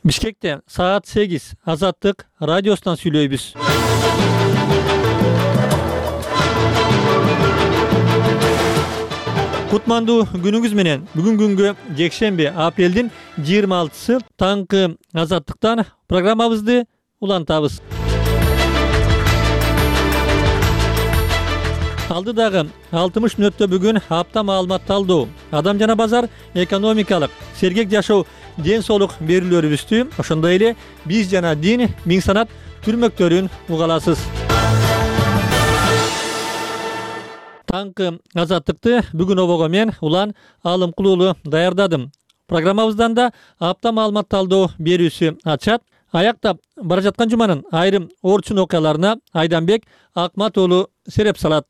Бишкекте саат 8 Азаттык радиосунан сүйлөйбүз. Кутмандуу күнүңүз менен. Бүгүн күнгө жекшемби апрелдин 26-сы таңкы Азаттыктан программабызды улантабыз. Алдыдагы 60 мүнөттө бүгүн апта маалымат талдоо, адам жана базар, экономикалык, сергек жашоо, ден соолук берүүлөрүбүздү, ошондой эле биз жана дин, миң санат түрмөктөрүн угаласыз. Таңкы Азаттыкты бүгүн обого мен Улан Алымкулуулу даярдадым. Программабыздан да апта маалымат талдоо берүүсү ачат. Аяктап бара жаткан жуманын айрым орчун окуяларына Айданбек Акмат уулу сереп салат.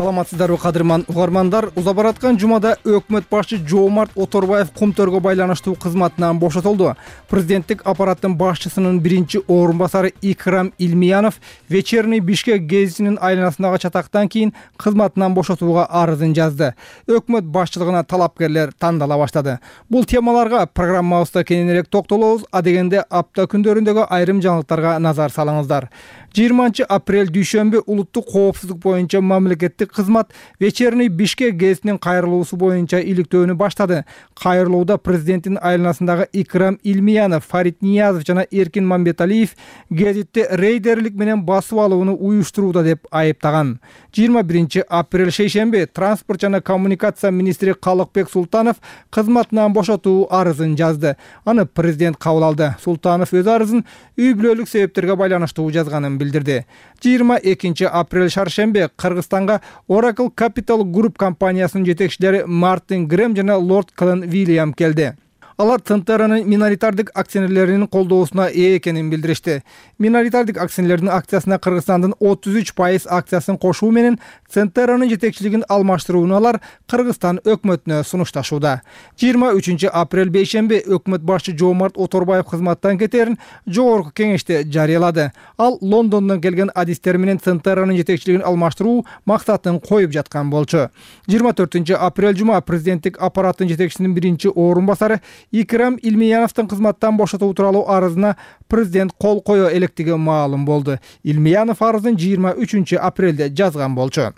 Саламатсыздарбы кадырман угармандар. Уза бараткан жумада өкмөт башчы Жоомарт Оторбаев Кумтөргө байланыштуу кызматынан бошотулду. Президенттик аппараттын башчысынын биринчи орун басары Икрам Илмиянов Вечерний Бишкек гезитинин айланасындагы чатактан кийин кызматынан бошотууга арызын жазды. Өкмөт башчылыгына талапкерлер тандала баштады. Бул темаларга программабызда кененирээк токтолобуз, адегенде апта күндөрүндөгү айрым жаңылыктарга назар салыңыздар. 20 апрель дүйшөмбү улуттук коопсуздук боюнча мамлекеттик кызмат Вечерний Бишкек гезитинин кайрылуусу боюнча иликтөөнү баштады. Кайрылууда президенттин айланасындагы Икрам Илмиянов, Фарид Ниязов жана Эркин Мамбеталиев гезитти рейдерлик менен басып алууну уюштурууда деп айыптаган. 21 апрель шейшемби транспорт жана коммуникация министри Калыкбек Султанов кызматынан бошотуу арызын жазды. Аны президент кабыл алды. Султанов өз арызын үй бүлөлүк себептерге байланыштуу жазганын билдирди. 22 апрель шаршемби Кыргызстанга Oracle Capital Group компаниясынын жетекчилери Мартин Грэм жана Лорд Клен Вильям келди. Алар Центеранын миноритардык акционерлеринин колдоосуна ээ экенин билдиришти. Миноритардык акционерлердин акциясына Кыргызстандын 33% акциясын кошуу менен Центеранын жетекчилигин алмаштырууну алар Кыргызстан өкмөтүнө сунушташууда. 23 апрель бейшемби өкмөт башчы Жоомарт Оторбаев кызматтан кетерин жогорку кеңеште жарыялады. Ал Лондондон келген адистер менен Центеранын жетекчилигин алмаштыруу максатын коюп жаткан болчу. 24 апрель жума президенттик аппараттын жетекчисинин биринчи орун басары Икрам Илмияновдун кызматтан бошотуу тууралуу арызына президент кол кое электиги маалым болду. Илмиянов арызын 23 апрелде жазган болчу.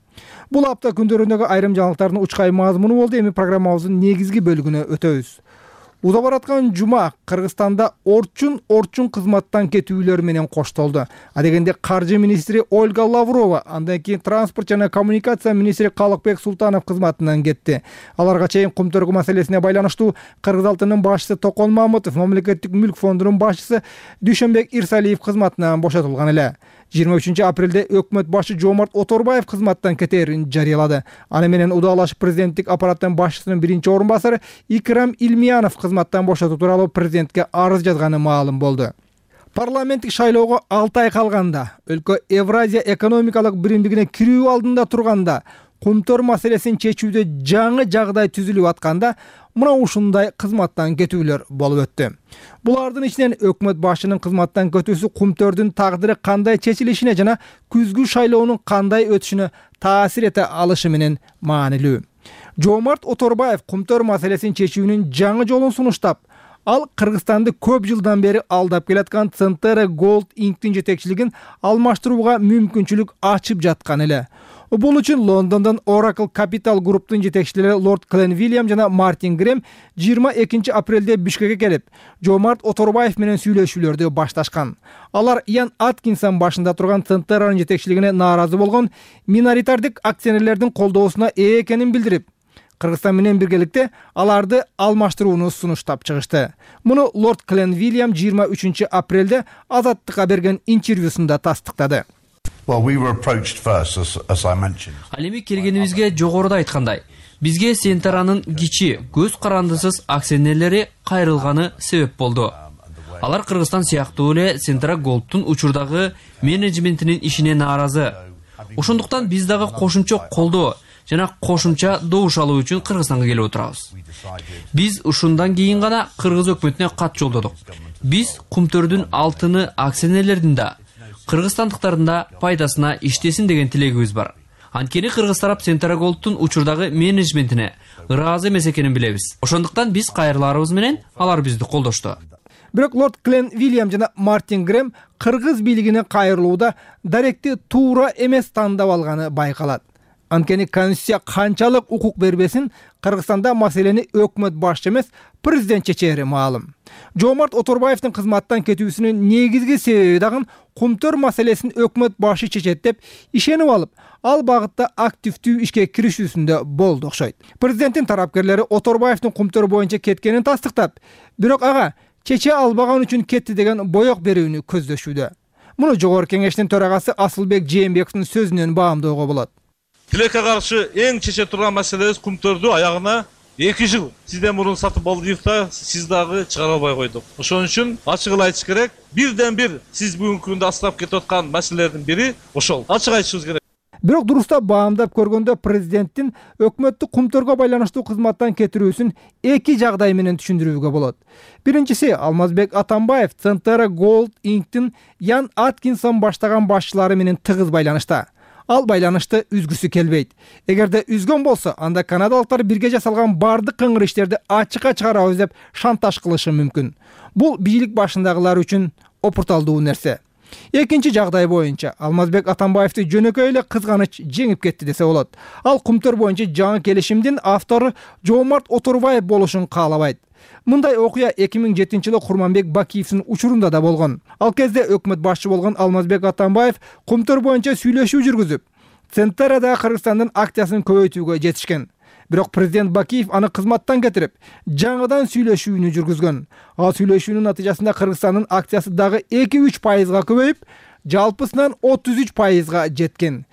Бул апта күндөрүндөгү айрым жаңылыктардын учкай мазмуну болду. Эми программабыздын негизги бөлүгүнө өтөбүз. Уза бараткан жума Кыргызстанда орчун кызматтан кетүүлөр менен коштолду. Адегенде каржы министри Ольга Лаврова, андан кийин транспорт жана коммуникация министри Калыкбек Султанов кызматынан кетти. Аларга чейин Кумтөргү маселесине байланыштуу Кыргыз алтынынын башчысы Токон Мамытов, мамлекеттик мүлк фондунун башчысы Дүйшөнбек Ирсалиев кызматынан бошотулган эле. 23 апрелде өкмөт башчы Жоомарт Оторбаев кызматтан кетерин жарыялады. Аны менен удалашып президенттик аппараттын башчысынын биринчи орун басары Икрам Илмиянов кызматтан бошотуу тууралуу президентке арыз жазганы маалым болду. Парламенттик шайлоого 6 ай калганда, өлкө Евразия экономикалык биримдигине кирүү алдында турганда, Кумтөр маселесин чечүүдө жаңы жагдай түзүлүп атканда, мына ушундай кызматтан кетүүлөр болуп өттү. Булардын ичинен өкмөт башчынын кызматтан кетүүсү Кумтөрдүн тагдыры кандай чечилишине жана күзгү шайлоонун кандай өтүшүнө таасир эте алышы менен маанилүү. Жоомарт Оторбаев Кумтөр маселесин чечүүнүн жаңы жолун сунуштап, ал Кыргызстанды көп жылдан бери алдап келаткан Центера Gold Inc.'тин жетекчилигин алмаштырууга мүмкүнчүлүк ачып жаткан эле. Бул үчүн Лондондон Oracle Capital Group'тун жетекчилери Лорд Клен Вильям жана Мартин Грэм 22 апрелде Бишкекке келип, Жоомарт Оторбаев менен сүйлөшүүлөрдү башташкан. Алар Ян Аткинсон башында турган Центеранын жетекчилигине нааразы болгон миноритардык акционерлердин колдоосуна ээ экенин билдирип, Кыргызстан менен биргеликте аларды алмаштырууну сунуштап чыгышты. Муну Лорд Клен Вильям 23 апрелде Азаттыкка берген интервьюсунда тастыктады. Ал эми келгенибизге жогоруда айткандай, бизге Центеранын кичи, көз карандысыз акционерлери кайрылганы себеп болду. Алар Кыргызстан сыяктуу эле Центера Gold'тун учурдагы менеджментинин ишине нааразы. Ошондуктан биз дагы кошумча колдоо жана кошумча добуш алуу үчүн Кыргызстанга келип отурабыз. Биз ушундан кийин гана Кыргыз өкмөтүнө кат жолдодук. Биз Кумтөрдүн алтыны акционерлердин да, кыргызстандыктардын да пайдасына иштесин деген тилегибиз бар. Анткени Кыргыз тарап Центра Голдтун учурдагы менеджментине ыраазы эмес экенин билебиз. Ошондуктан биз кайрыларыбыз менен алар бизди колдошту. Бирок лорд Клен Вильям жана Мартин Грэм кыргыз бийлигине кайрылууда даректи туура эмес тандап алганы байкалат. Анткени Конституция канчалык укук бербесин, Кыргызстанда маселени өкмөт башчы эмес, президент чечери маалым. Жоомарт Оторбаевдин кызматтан кетүүсүнүн негизги себеби дагы Кумтөр маселесин өкмөт башы чечет деп ишенип алып, ал багытта активдүү ишке киришүүсүндө болду окшойт. Президенттин тарапкерлери Оторбаевдин Кумтөр боюнча кеткенин тастыктап, бирок ага чече албаган үчүн кетти деген боек берүүнү көздөшүүдө. Муну Жогорку Кеңештин төрагасы Асылбек Жээнбековдун сөзүнөн баамдоого болот. Тилекке каршы эң чече турган маселебиз Кумтөрдү аягына 2 жыл сизден мурун сатып алдык да, сиз дагы чыгара албай койдук. Ошон үчүн ачык эле айтыш керек. Бирден бир сиз бүгүнкү күндө астап кетип аткан маселелердин бири ошол. Ачык айтышыбыз керек. Бирок дурустап баамдап көргөндө президенттин өкмөттү Кумтөргө байланыштуу кызматтан кетирүүсүн 2 жагдай менен түшүндүрүүгө болот. Биринчиси, Алмазбек Атамбаев Центра Голд Инктин Ян Аткинсон баштаган башчылары менен тыгыз байланышта. Ал байланышты үзгүсү келбейт. Эгерде үзгөн болсо, анда канадалыктар бирге жасалган бардык кыңыр иштерди ачыкка чыгарабыз деп шантаж кылышы мүмкүн. Бул бийлик башындагылар үчүн опурталдуу нерсе. Экинчи жагдай боюнча Алмазбек Атамбаевди жөнөкөй эле кызганыч жеңип кетти десе болот. Ал Кумтөр боюнча жаңы келишимдин автору Жоомарт Оторбаев болушун каалабайт. Мындай окуя 2007-жылы Курманбек Бакиевдин учурунда да болгон. Ал кезде өкмөт башчы болгон Алмазбек Атамбаев Кумтөр боюнча сүйлөшүү жүргүзүп, Центрада Кыргызстандын акциясын көбөйтүүгө жетишкен. Бирок президент Бакиев аны кызматтан кетирип, жаңыдан сүйлөшүүнү жүргүзгөн. Ал сүйлөшүүнүн натыйжасында Кыргызстандын акциясы дагы 2-3% көбөйүп, жалпысынан 33% жеткен.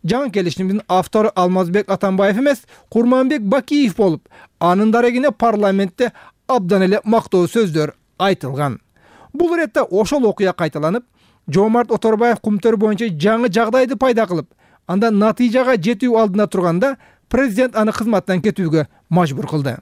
Жаңы келишимдин автору Алмазбек Атамбаев эмес, Курманбек Бакиев болуп, анын дарегине парламентте абдан эле мактоо сөздөр айтылган. Бул иретте ошол окуя кайталанып, Жоомарт Оторбаев Кумтөр боюнча жаңы жагдайды пайда кылып, анда натыйжага жетүү алдында турганда президент аны кызматтан кетүүгө мажбур кылды.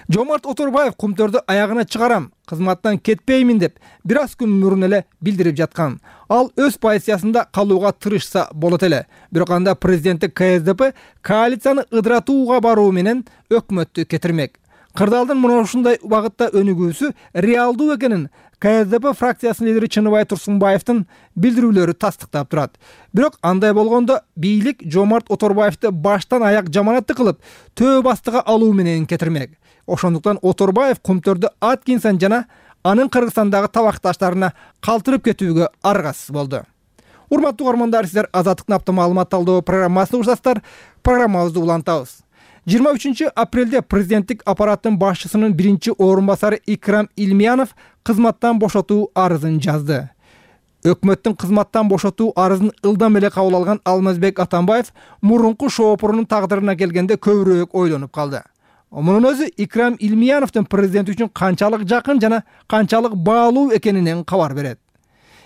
Жоомарт Оторбаев Кумтөрдү аягына чыгарам, кызматтан кетпеймин деп бир аз күн мурун эле билдирип жаткан. Ал өз позициясында калууга тырышса болот эле. Бирок анда президенттик КСДП коалицияны ыдыратууга баруу менен өкмөттү кетирмек. Кырдаалдын мына ушундай багытта өнүгүүсү реалдуу экенин КСДП фракциясынын лидери Чыныбай Турсунбаевдин билдирүүлөрү тастыктап турат. Бирок андай болгондо бийлик Жоомарт Оторбаевди баштан аяк жаманатты кылып, төө бастыга алуу менен кетирмек. Ошондуктан Оторбаев Кумтөрдү Аткинсон жана анын Кыргызстандагы табакташтарына калтырып кетүүгө аргасыз болду. Урматтуу угармандар, сиздер Азаттыктын апта маалымат талдоо программасына урсаздар. Программабызды улантабыз. 23 апрелде президенттик аппараттын башчысынын биринчи орун басары Икрам Илмиянов кызматтан бошотуу арызын жазды. Өкмөттүн кызматтан бошотуу арызын ылдам эле кабыл алган Алмазбек Атамбаев мурунку шоопурунун тагдырына келгенде көбүрөөк ойлонуп калды. Мунун өзү Икрам Илмияновдун президент үчүн канчалык жакын жана канчалык баалуу экенинен кабар берет.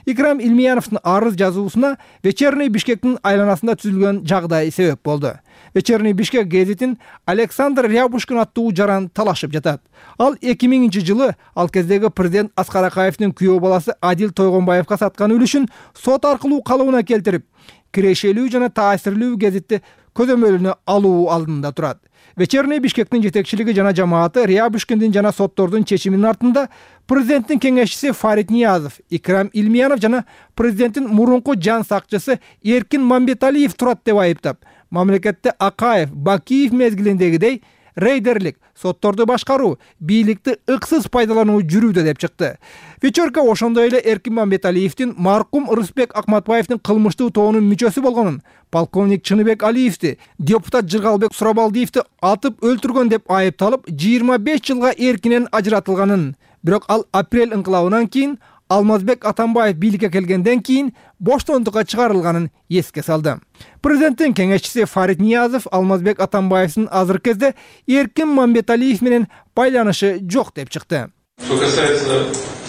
Икрам Илмияновдун арыз жазуусуна Вечерний Бишкектин айланасында түзүлгөн жагдай себеп болду. Вечерний Бишкек гезитин Александр Рябушкин аттуу жаран талашып жатат. Ал 2000-жылы ал кездеги президент Аскар Акаевдин күйөө баласы Адил Тойгонбаевга саткан үлүшүн сот аркылуу калыбына келтирип, кирешелүү жана таасирлүү гезитти көзөмөлүнө алуу алдында турат. Вечерний Бишкектин жетекчилиги жана жамааты Рябушкиндин жана соттордун чечиминин артында президенттин кеңешчиси Фарид Ниязов, Икрам Илмиянов жана президенттин мурунку жан сакчысы Эркин Мамбеталиев турат деп айыптап, мамлекетте Акаев, Бакиев мезгилиндегидей рейдерлик, сотторду башкаруу, бийликти ыксыз пайдалануу жүрүүдө деп чыкты. Вечерка ошондой эле Эркин Мамбеталиевдин маркум Рыспек Акматбаевдин кылмыштуу тобунун мүчөсү болгонун, полковник Чыныбек Алиевди, депутат Жыргалбек Сурабалдиевди атып өлтүргөн деп айыпталып, 25 жылга эркинен ажыратылганын. Бирок ал апрель ыңкылабынан кийин Алмазбек Атамбаев бийликке келгенден кийин боштондукка чыгарылганын эске салды. Президенттин кеңешчиси Фарид Ниязов Алмазбек Атамбаевдин азыркы кезде Эркин Мамбеталиев менен байланышы жок деп чыкты. Что касается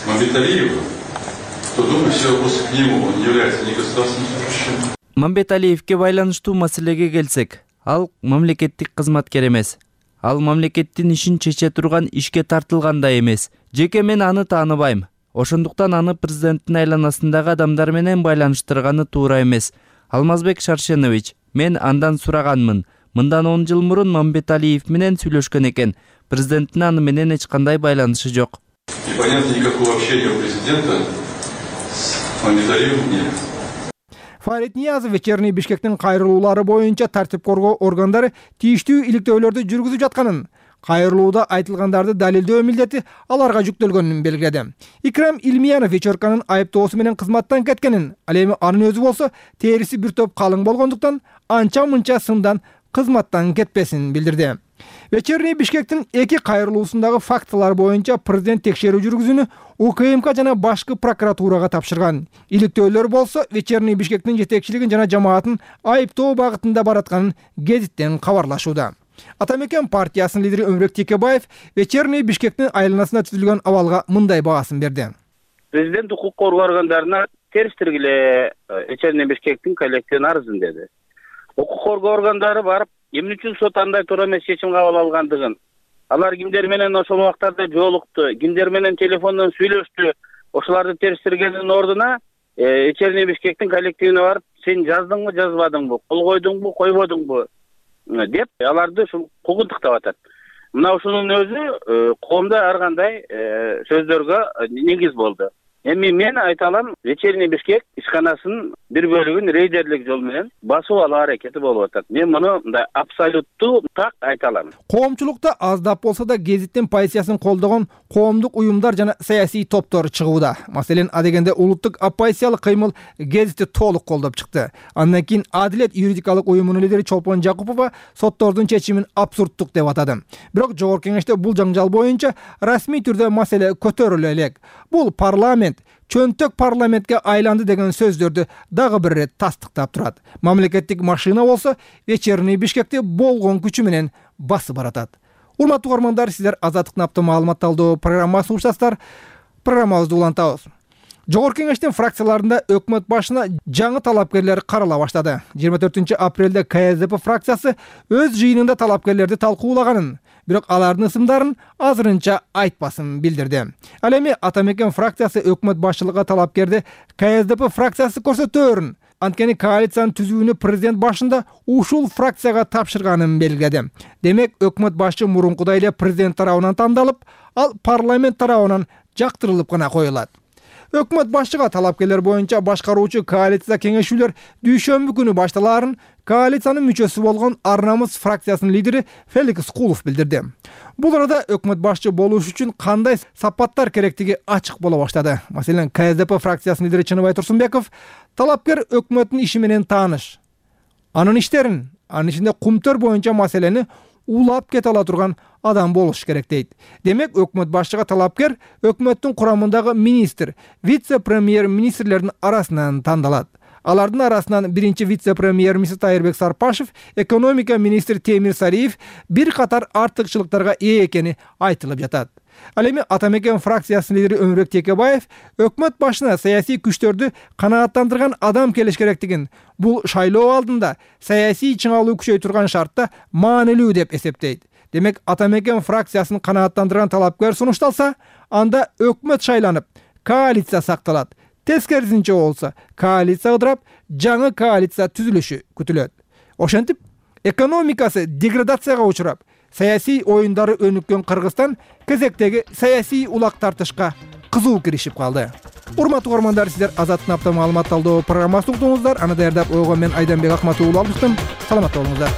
Мамбеталиева, то думаю, все вопросы к нему, он не является ни государственным служащим. Мамбеталиевге байланыштуу маселеге келсек, Ал мамлекеттик кызматкер эмес. Ал мамлекеттин ишин чече турган ишке тартылган да эмес. Жеке мен аны тааныбайм. Ошондуктан аны президенттин айланасындагы адамдар менен байланыштырганы туура эмес. Алмазбек Шаршенович, мен андан сураганмын. Мындан 10 жыл мурун Мамбеталиев менен сүйлөшкөн экен. Президенттин аны менен эч кандай байланышы жок. И понятно, никакого общения у президента с Мамбеталиевым нет. Фарид Ниязов вечерний Бишкектин кайрылуулары боюнча тартип коргоо органдары тийиштүү иликтөөлөрдү жүргүзүп жатканын, кайрылууда айтылгандарды далилдөө милдети аларга жүктөлгөнүн белгиледи. Икрам Илмиянов вечерканын айыптоосу менен кызматтан кеткенин, ал эми анын өзү болсо териси бир топ калың болгондуктан анча-мынча сындан кызматтан кетпесин билдирди. Вечерний Бишкектин эки кайрылуусундагы фактылар боюнча президент текшерүү жүргүзүүнү УКМК жана башкы прокуратурага тапшырган. Иликтөөлөр болсо вечерний Бишкектин жетекчилигин жана жамаатын айыптоо багытында баратканын гезиттен кабарлашууда. Атамекен партиясынын лидери Өмүрөк Текебаев вечерний Бишкектин айланасында түзүлгөн абалга мындай баасын берди. Президент укук коргоо органдарына терс тиргиле вечерний Бишкектин коллективин арызын деди. Укук коргоо органдары барып, эмне үчүн сот андай туура эмес чечим кабыл алгандыгын, алар кимдер менен ошол убактарда жолукту, кимдер менен телефондон сүйлөштү, ошолорду терс тиргендин ордуна вечерний Бишкектин коллективине барып, сен жаздыңбы, жазбадыңбы, кол койдуңбу, койбодуңбу деп аларды ушул куугунтуктап атат. Мына ушунун өзү коомдо ар кандай сөздөргө негиз болду. Эми мен айта алам, вечерний Бишкек ишканасынын бир бөлүгүн рейдерлик жол менен басып алуу аракети болуп атат. Мен муну мындай абсолюттуу так айта алам. Коомчулукта аздап болсо да гезиттин позициясын колдогон коомдук уюмдар жана саясий топтор чыгууда. Маселен, адегенде улуттук оппозициялык кыймыл гезитти толук колдоп чыкты. Андан кийин Адилет юридикалык уюмунун лидери Чолпон Жакупова соттордун чечимин абсурдтук деп атады. Бирок жогорку кеңеште бул жаңжал боюнча расмий түрдө маселе көтөрүлө элек. Бул парламент чөнтөк парламентке айланды деген сөздөрдү дагы бир рет тастыктап турат. Мамлекеттик машина болсо вечерний Бишкекти болгон күчү менен басып баратат. Урматтуу угармандар, сиздер Азаттыктын апта маалымат талдоо программасын угушасыздар. Программабызды улантабыз. Жогорку кеңештин фракцияларында өкмөт башына жаңы талапкерлер карала баштады. 24 апрелде КСДП фракциясы өз жыйынында талапкерлерди талкуулаганын, бирок алардын ысымдарын азырынча айтпасын билдирди. Ал эми Атамекен фракциясы өкмөт башчылыгына талапкерди КСДП фракциясы көрсөтөөрүн. Анткени коалициянын түзүүнү президент башында ушул фракцияга тапшырганын белгиледи. Демек, өкмөт башчы мурункудай эле президент тарабынан тандалып, ал парламент тарабынан жактырылып гана коюлат. Өкмөт башчыга талапкерлер боюнча башкаруучу коалиция кеңешүүлөр дүйшөмбү күнү башталаарын коалициянын мүчөсү болгон Ар Намыс фракциясынын лидери Феликс Кулов билдирди. Бул арада өкмөт башчы болуш үчүн кандай сапаттар керектиги ачык боло баштады. Маселен, КСДП фракциясынын лидери Чыныбай Турсунбеков талапкер өкмөттүн иши менен тааныш, анын иштерин, анын ичинде кумтөр боюнча маселени улап кете ала турган адам болуш керек дейт. Демек, өкмөт башчыга талапкер өкмөттүн курамындагы министр, вице-премьер министрлердин арасынан тандалат. Алардын арасынан биринчи вице-премьер министр Тайырбек Сарпашев, экономика министри Темир Сариев бир катар артыкчылыктарга ээ экени айтылып жатат. Ал эми Атамекен фракциясынын лидери Өмүрөк Текебаев өкмөт башына саясий күчтөрдү канааттандырган адам келиш керектигин, бул шайлоо алдында саясий чыңалуу күчөй турган шартта маанилүү деп эсептейт. Демек, Атамекен фракциясын канааттандырган талапкер сунушталса, анда өкмөт шайланып, коалиция сакталат. Тескерисинче болсо, коалиция ыдырап, жаңы коалиция түзүлүшү күтүлөт. Ошентип, экономикасы деградацияга учурап, саясий оюндары өнүккөн Кыргызстан кезектеги саясий улак тартышка кызуу киришип калды. Урматтуу угармандар, сиздер Азаттыктын апта маалымат талдоо программасын уктуңуздар. Аны даярдап койгон мен Айданбек Акматов уулу алыштым. Саламатта болуңуздар.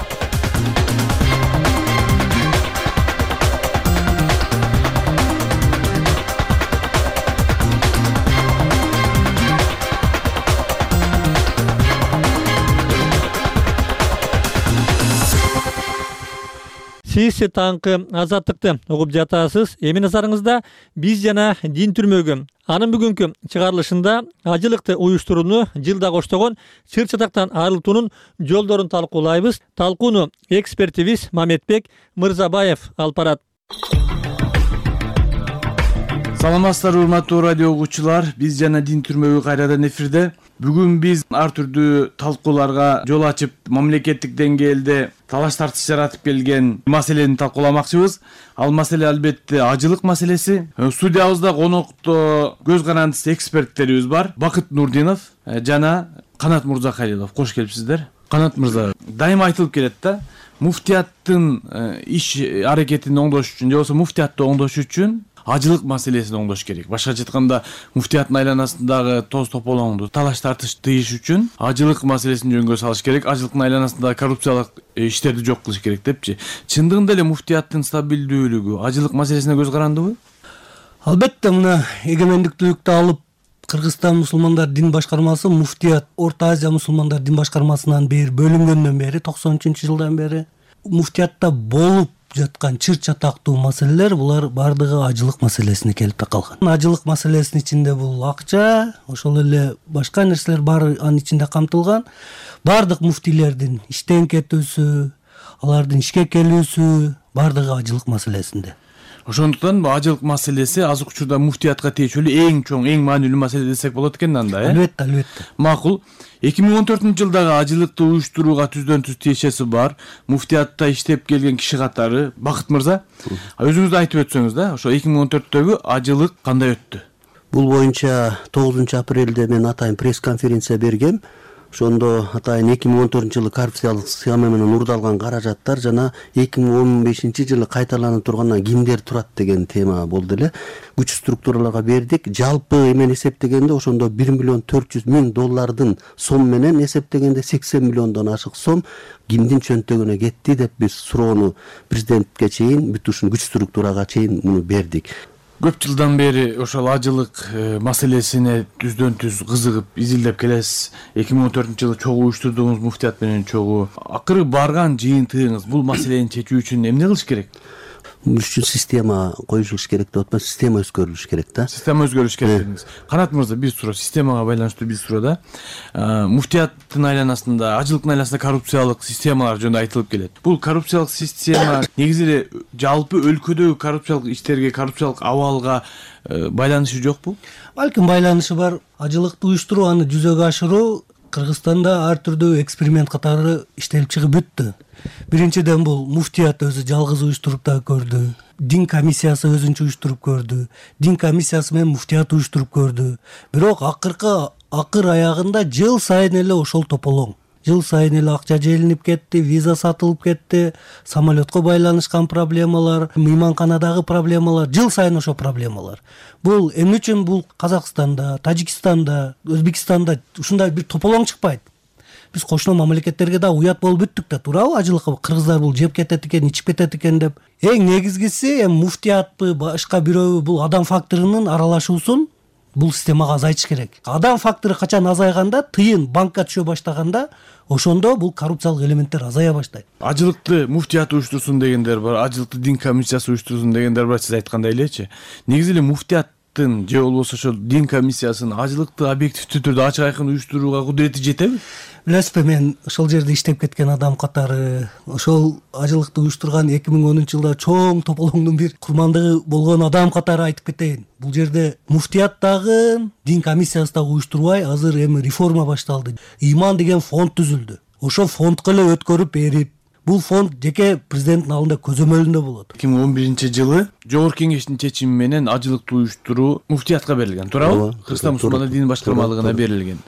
Сиз таңкы Азаттыкты угуп жатасыз. Эми назарыңызда биз жана дин түрмөгү анын бүгүнкү чыгарылышында ажылыкты уюштурууну жылда коштогон чыр чатактан арылтуунун жолдорун талкуулайбыз. Талкууну экспертибиз Мамедбек Мырзабаев алып барат. Саламатсыздар, урматтуу радио угуучулар. Биз жана дин түрмөгү кайрадан эфирде. Бүгүн биз ар түрдүү талкууларга жол ачып, мамлекеттик деңгээлде талаш тартыш жаратып келген маселени талкууламакчыбыз. Ал маселе албетте ажылык маселеси. Студиябызда конокто көз карандысыз эксперттерибиз бар. Бакыт Нурдинов жана Канат Мурзахалилов. Кош келипсиздер. Канат мырза, дайыма айтылып келет да, муфтияттын иш аракетин оңдош үчүн же болбосо муфтиятты оңдош үчүн ажылык маселесин оңдош керек. Башкача айтканда, муфтияттын айланасындагы тоз тополоңду талаш тартыш тыйыш үчүн ажылык маселесин жөнгө салыш керек. Ажылыктын айланасындагы коррупциялык иштерди жок кылыш керек депчи. Чындыгында эле муфтияттын стабилдүүлүгү ажылык маселесине көз карандыбы? Албетте, мына эгемендиктүүлүктү алып Кыргызстан мусулмандар дин башкармасы муфтият Орто Азия мусулмандар дин башкармасынан бери бөлүнгөндөн бери 93-жылдан бери муфтиятта болуп жаткан чыр чатактуу маселелер булар бардыгы ажылык маселесине келип такалган. Ажылык маселесинин ичинде бул акча, ошол эле башка нерселер баары анын ичинде камтылган. Бардык муфтийлердин иштен кетүүсү, алардын ишке келүүсү бардыгы ажылык маселесинде. Ошондуктан бул ажылык маселеси азыркы учурда муфтиятка тиешелүү эң чоң, эң маанилүү маселе десек болот экен анда, Албетте, албетте. Макул. 2014-жылдагы ажылыкты уюштурууга түздөн-түз тиешеси бар. Муфтиятта иштеп келген киши катары. Бакыт мырза, өзүңүз айтып өтсөңүз да, ошо 2014-төгү ажылык кандай өттү? Бул боюнча 9-апрелде мен атайын пресс-конференция бергем. Ошондо атайын 2014-жылы коррупциялык схема менен урдалган каражаттар жана 2015-жылы кайталанып тургандан кимдер турат деген тема болду эле. Күч структураларга бердик. Жалпы эмен эсептегенде ошондо $1,400,000 сом менен эсептегенде 80 миллиондон ашык сом кимдин чөнтөгүнө кетти деп биз суроону президентке чейин, бүт ушул күч структурага чейин муну бердик. Көп жылдан бери ошол ажылык маселесине түздөн-түз кызыгып, изилдеп келесиз. 2014-жылы чогуу уюштурдуңуз муфтият менен чогуу. Акыры барган жыйынтыгыңыз бул маселени чечүү үчүн эмне кылыш керек? Бул үчүн система коюлуш керек деп атпайбы, система өзгөрүлүш керек да. Система өзгөрүш керек дедиңиз. Канат мырза, бир суроо, системага байланыштуу бир суроо да. Муфтияттын айланасында, ажылыктын айланасында коррупциялык системалар жөнүндө айтылып келет. Бул коррупциялык система негизи эле жалпы өлкөдөгү коррупциялык иштерге, коррупциялык абалга байланышы жокпу? Балким байланышы бар. Ажылыкты уюштуруу, аны жүзөгө ашыруу Кыргызстанда ар түрдүү эксперимент катары иштелип чыгып бүттү. Биринчиден бул муфтият өзү жалгыз уюштуруп да көрдү. Дин комиссиясы өзүнчө уюштуруп көрдү. Дин комиссиясы менен муфтият уюштуруп көрдү. Бирок акыр аягында жыл сайын эле ошол тополоң. Жыл сайын эле акча желинип кетти, виза сатылып кетти, самолетко байланышкан проблемалар, мейманканадагы проблемалар, жыл сайын ошо проблемалар. Бул эмне үчүн бул Казакстанда, Тажикстанда, Өзбекстанда ушундай бир тополоң чыкпайт? Биз кошуна мамлекеттерге да уят болуп бүттүк да, туурабы? Ажылыкка кыргыздар бул жеп кетет экен, ичип кетет экен деп. Эң негизгиси эми муфтиятпы, башка бирөбү бул адам факторунун аралашуусун бул системага азайтыш керек. Адам фактору качан азайганда, тыйын банкка түшө баштаганда, ошондо бул коррупциялык элементтер азая баштайт. Ажылыкты муфтият уюштурсун дегендер бар, ажылыкты дин комиссиясы уюштурсун дегендер бар, сиз айткандай элечи. Негизи эле муфтияттын же болбосо ошол дин комиссиясынын ажылыкты объективдүү түрдө ачык айкын уюштурууга кудурети жетеби? Билесизби, мен ошол жерде иштеп кеткен адам катары, ошол ажылыкты уюштурган 2010-жылда чоң тополоңдун бир курмандыгы болгон адам катары айтып кетейин. Бул жерде муфтият дагы, дин комиссиясы дагы уюштурбай, азыр эми реформа башталды. Иман деген фонд түзүлдү. Ошол фондко эле өткөрүп берип, бул фонд жеке президенттин алдында көзөмөлүндө болот. 2011-жылы Жогорку Кеңештин чечими менен ажылыкты уюштуруу муфтиятка берилген, туурабы? Кыргызстан мусулмандар дин башкармалыгына берилген.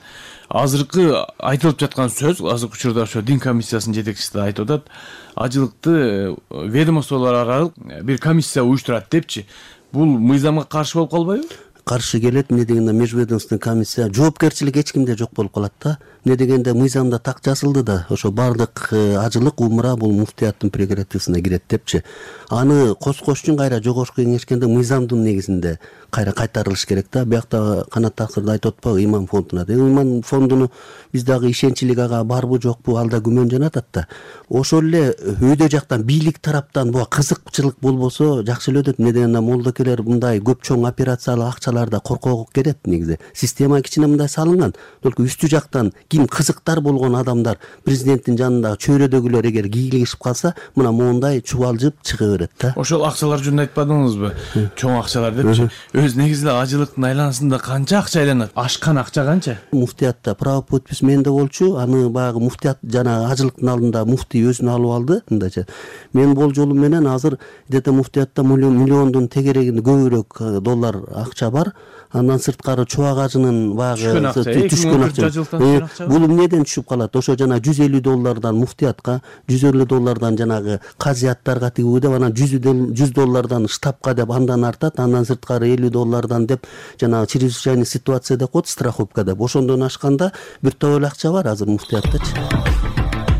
Азыркы айтылып жаткан сөз, азыркы учурда ошо дин комиссиясынын жетекчиси да айтып атат, ажылыкты ведомстволор аралык бир комиссия уюштурат депчи. Бул мыйзамга каршы болуп калбайбы? Каршы келет. Эмне дегенде межведомственный комиссия жоопкерчилик эч кимде жок болуп калат да. Эмне дегенде мыйзамда так жазылды да, ошо бардык ажылык умра бул муфтияттын прерогативасына кирет депчи. Аны коскош үчүн кайра Жогорку Кеңешкенде мыйзамдын негизинде кайра кайтарылыш керек да. Биякта Канат Таксырда айтып атпайбы, иман фондуна. Иман фондуну биз дагы ишенчилик ага барбы жокпу, ал да күмөн жанатат да. Ошол эле өйдө жактан бийлик тараптан буга кызыкчылык болбосо жакшы эле өтөт. Эмне дегенде молдокелер мындай көп чоң операциялык акчаларда коркок керет негизи. Система кичине мындай салынган. Только үстү жактан ким кызыктар болгон адамдар президенттин жанындагы чөйрөдөгүлөр эгер кийлигишип калса, мына моундай чубалжып чыга берет да. Ошол акчалар жөнүндө айтпадыңызбы? Чоң акчалар депчи. өзү негизи эле ажылыктын айланасында канча акча айланат? Ашкан акча канча? Муфтиятта право подпись менде болчу. Аны баягы муфтият жанагы ажылыктын алдында муфтий өзүнө алып алды. Мындайча. Менин болжолум менен азыр где-то муфтиятта миллиондун тегерегинде көбүрөөк доллар акча бар. Андан сырткары чубак ажынын баягы түшкөн акча. Бул эмнеден түшүп калат? Ошо жана $150 муфтиятка, $150 жанагы казияттарга тигүү деп, анан $100 штабка деп андан артат, андан сырткары $50 деп жанагы чрезвычайный ситуация деп коет, страховка деп. Ошондон ашканда бир топ эле акча бар азыр муфтияттачы.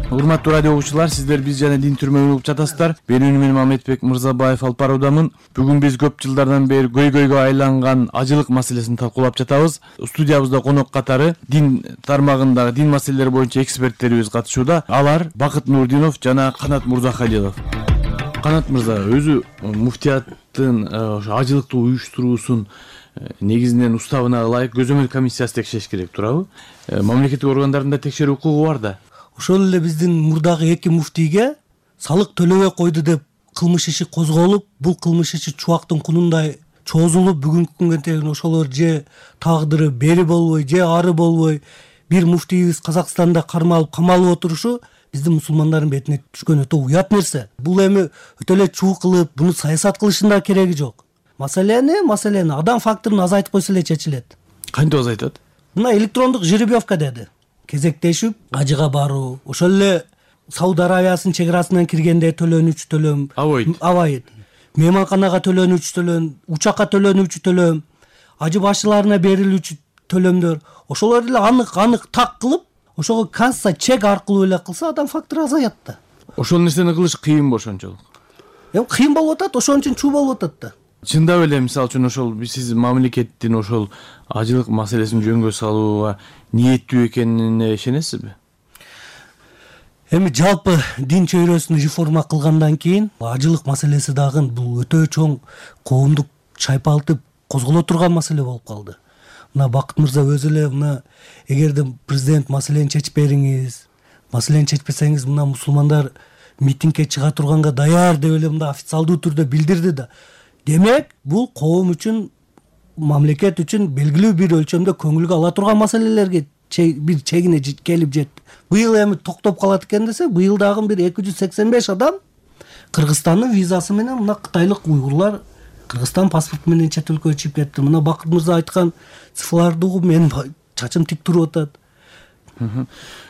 Урматтуу радио угуучулар, сиздер биз жана дин түрмө угуп жатасыздар. Менин мен Мамедбек Мырзабаев алып баруудамын. Бүгүн биз көп жылдардан бери көйгөйгө айланган ажылык маселесин талкуулап жатабыз. Студиябызда конок катары дин тармагындагы дин маселелери боюнча эксперттерибиз катышууда. Алар Бакыт Нурдинов жана Канат Мурзахалилов. Канат мырза, өзү муфтияттын ажылыктуу уюштуруусун негизинен уставына ылайык көзөмөл комиссиясы текшериш керек, туурабы? Мамлекеттик органдарында текшерүү укугу бар да. Ошол эле биздин мурдагы 2 муфтийге салык төлөбөй койду деп кылмыш иши козголуп, бул кылмыш иши чубактын кунундай чозулуп, бүгүнкү күнгө чейин ошолор же тагдыры бери болбой, же ары болбой бир муфтийибиз Казакстанда кармалып, камалып отурушу биздин мусулмандардын бетине түшкөн өтө уят нерсе. Бул эми өтө эле чуу кылып, буну саясат кылыштын да кереги жок. Маселени адам факторун азайтып койсо эле чечилет. Кантип азайтат? Мына электрондук жеребьевка деди. Кезектешип ажыга баруу, ошол эле Сауд Аравиясынын чек арасынан киргенде төлөнүүчү төлөм, абайт. Мейманканага төлөнүүчү төлөм, учакка төлөнүүчү төлөм, ажы башчыларына берилүүчү төлөмдөр, ошолор эле анык так кылып, ошого касса чек аркылуу эле кылса адам фактору азаят да. Ошол нерсени кылыш кыйынбы ошончолук? Кыйын болуп атат, ошон үчүн чуу болуп атат да. Чындап эле мисалы үчүн ошол сиз мамлекеттин ошол ажылык маселесин жөнгө салууга ниеттүү экенине ишенесизби? Эми жалпы дин чөйрөсүн реформа кылгандан кийин ажылык маселеси дагы бул өтө чоң коомдук чайпалтып козголо турган маселе болуп калды. Мына Бакыт мырза өзү эле мына эгерде президент маселени чечип бериңиз, маселени чечпесеңиз мына мусулмандар митингге чыга турганга даяр деп эле мында официалдуу түрдө билдирди да. Демек, бул коом үчүн, мамлекет үчүн белгилүү бир өлчөмдө көңүлгө ала турган маселелерге бир чегине келип жетти. Быйыл эми токтоп калат экен десе, быйыл дагы бир 285 адам Кыргызстандын визасы менен мына кытайлык уйгурлар Кыргызстан паспорту менен чет өлкөгө чыгып кетти. Мына Бакыт мырза айткан цифрларды угуп менин чачым тик туруп атат.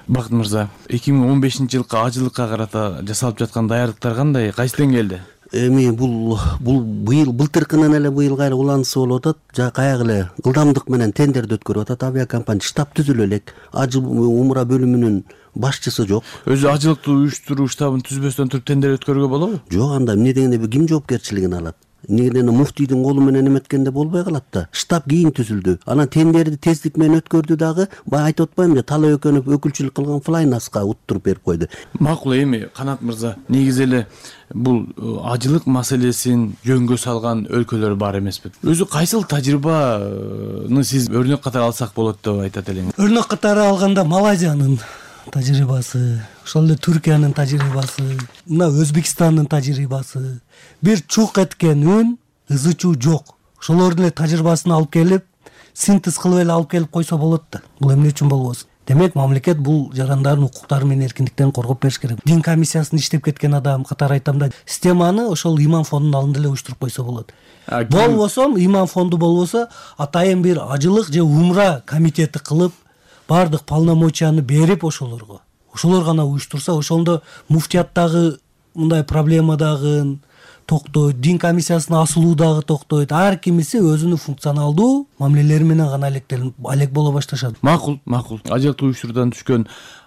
Бакыт мырза, 2015-жылкы ажылыкка карата жасалып жаткан даярдыктар кандай? Кайсы деңгээлде? Эми бул быйыл былтыркынан эле быйыл кайра уланысы болуп атат. Каяк эле ылдамдык менен тендерди өткөрүп атат. Авиакомпания штаб түзүлө элек. Ажы умра бөлүмүнүн башчысы жок. Өзү ажылыктуу уюштуруу штабын түзбөстөн туруп тендер өткөрүүгө болобу? Жок, анда эмне дегенде ким жоопкерчилигин алат? Негеден муфтийдин колу менен эметкенде болбой калат да. Штаб кийин түзүлдү. Анан тендерди тездик менен өткөрдү дагы. Бая айтып атпаймынбы, Талай Өкөнов өкүлчүлүк кылган Флайнаска уттуруп берип койду. Макул, эми Канат мырза, негизи эле бул ажылык маселесин жөнгө салган өлкөлөр бар эмеспи? Өзү кайсыл тажрыйбаны сиз өрнөк катары алсак болот деп айтат элеңиз? Өрнөк катары алганда Малайзиянын тажрыйбасы, ошол эле Түркиянын тажрыйбасы, мына Өзбекстандын тажрыйбасы, бир чук эткен үн, ызы чуу жок. Ошолордун эле тажрыйбасын алып келип, синтез кылып эле алып келип койсо болот да. Бул эмне үчүн болбосун? Демек, мамлекет бул жарандардын укуктары менен эркиндиктерин коргоп бериш керек. Дин комиссиясында иштеп кеткен адам катары айтам да, системаны ошол иман фондунун алдында эле уюштуруп койсо болот. Болбосо, иман фонду болбосо, атайын бир ажылык же умра комитети кылып, бардык полномочияны берип ошолорго. Ошолор гана уюштурса, ошондо муфтияттагы мындай проблема дагы токтойт, дин комиссиясына асылуу дагы токтойт. Ар кимиси өзүнүн функционалдуу мамилелери менен гана алек боло башташат. Макул. Ажылыктуу уюштуруудан түшкөн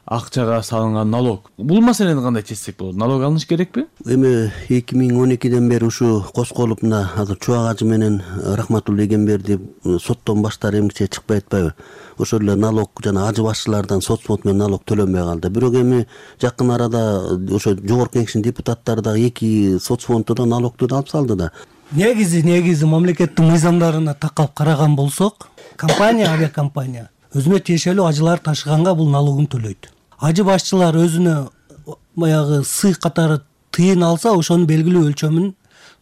акчага салынган налог. Бул маселени кандай чечсек болот? Налог алыныш керекпи? Эми 2012ден бери ушу козголуп мына азыр Чубак ажы менен Рахматулла Эгемберди соттон баштар эмгиче чыкпай атпайбы? Ошол эле налог жана ажы башчылардан соцфонд менен налог төлөнбөй калды. Бирок эми жакын арада ошо жогорку кеңештин депутаттары дагы 2 соцфондду да налогду да алып салды да. Негизи мамлекеттин мыйзамдарына такап караган болсок, авиакомпания өзүнө тиешелүү ажылар ташыганга бул налогун төлөйт. Ажы башчылар өзүнө баягы сый катары тыйын алса, ошонун белгилүү өлчөмүн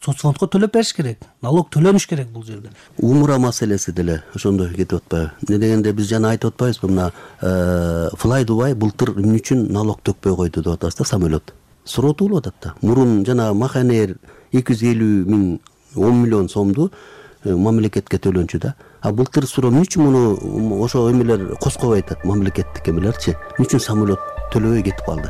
соцфондко төлөп бериш керек, налог төлөнүш керек бул жерде. Умура маселеси деле ошондой кетип атпайбы? Эмне дегенде биз жана айтып атпайбызбы, мына Fly Dubai былтыр эмне үчүн налог төкпөй койду деп атабыз да, самолет. Суротуулуп атат да. Мурун жана Маханер 250 миң 10 миллион сомду мамлекетке төлөнчү да. А былтыр суроо эмне үчүн муну ошо эмелер коскобой атат, мамлекеттик эмелерчи? Эмне үчүн самолет төлөбөй кетип калды?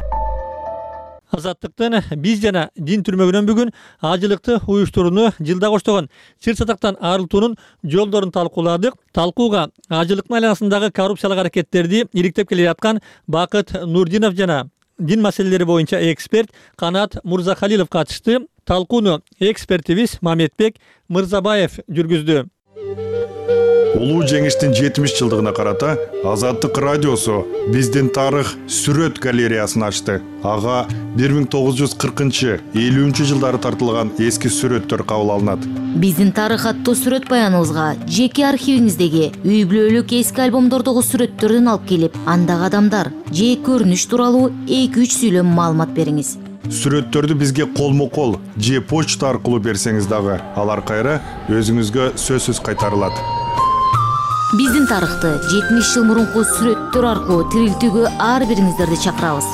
Азаттыктын биз жана дин түрмөгүнөн бүгүн ажылыкты уюштурууну жылда коштогон чыр сатактан арылтуунун жолдорун талкууладык. Талкууга ажылыктын айланасындагы коррупциялык аракеттерди иликтеп келе жаткан Бакыт Нурдинов жана дин маселелери боюнча эксперт Канат Мурзахалилов катышты. Талкууну экспертибиз Мамедбек Мырзабаев жүргүздү. Улуу жеңиштин 70 жылдыгына карата Азаттык радиосу биздин тарых сүрөт галереясын ачты. Ага 1940-50 жылдары тартылган эски сүрөттөр кабыл алынат. Биздин тарых аттуу сүрөт баяныбызга жеке архивиңиздеги үй бүлөлүк эски альбомдордогу сүрөттөрдөн алып келип, андагы адамдар же көрүнүш тууралуу 2-3 сүйлөм маалымат бериңиз. Сүрөттөрдү бизге колмо-кол же почта аркылуу берсеңиз дагы алар кайра өзүңүзгө сөзсүз кайтарылат. Биздин тарыхты 70 жыл мурунку сүрөттөр аркылуу тирилтүүгө ар бириңиздерди чакырабыз.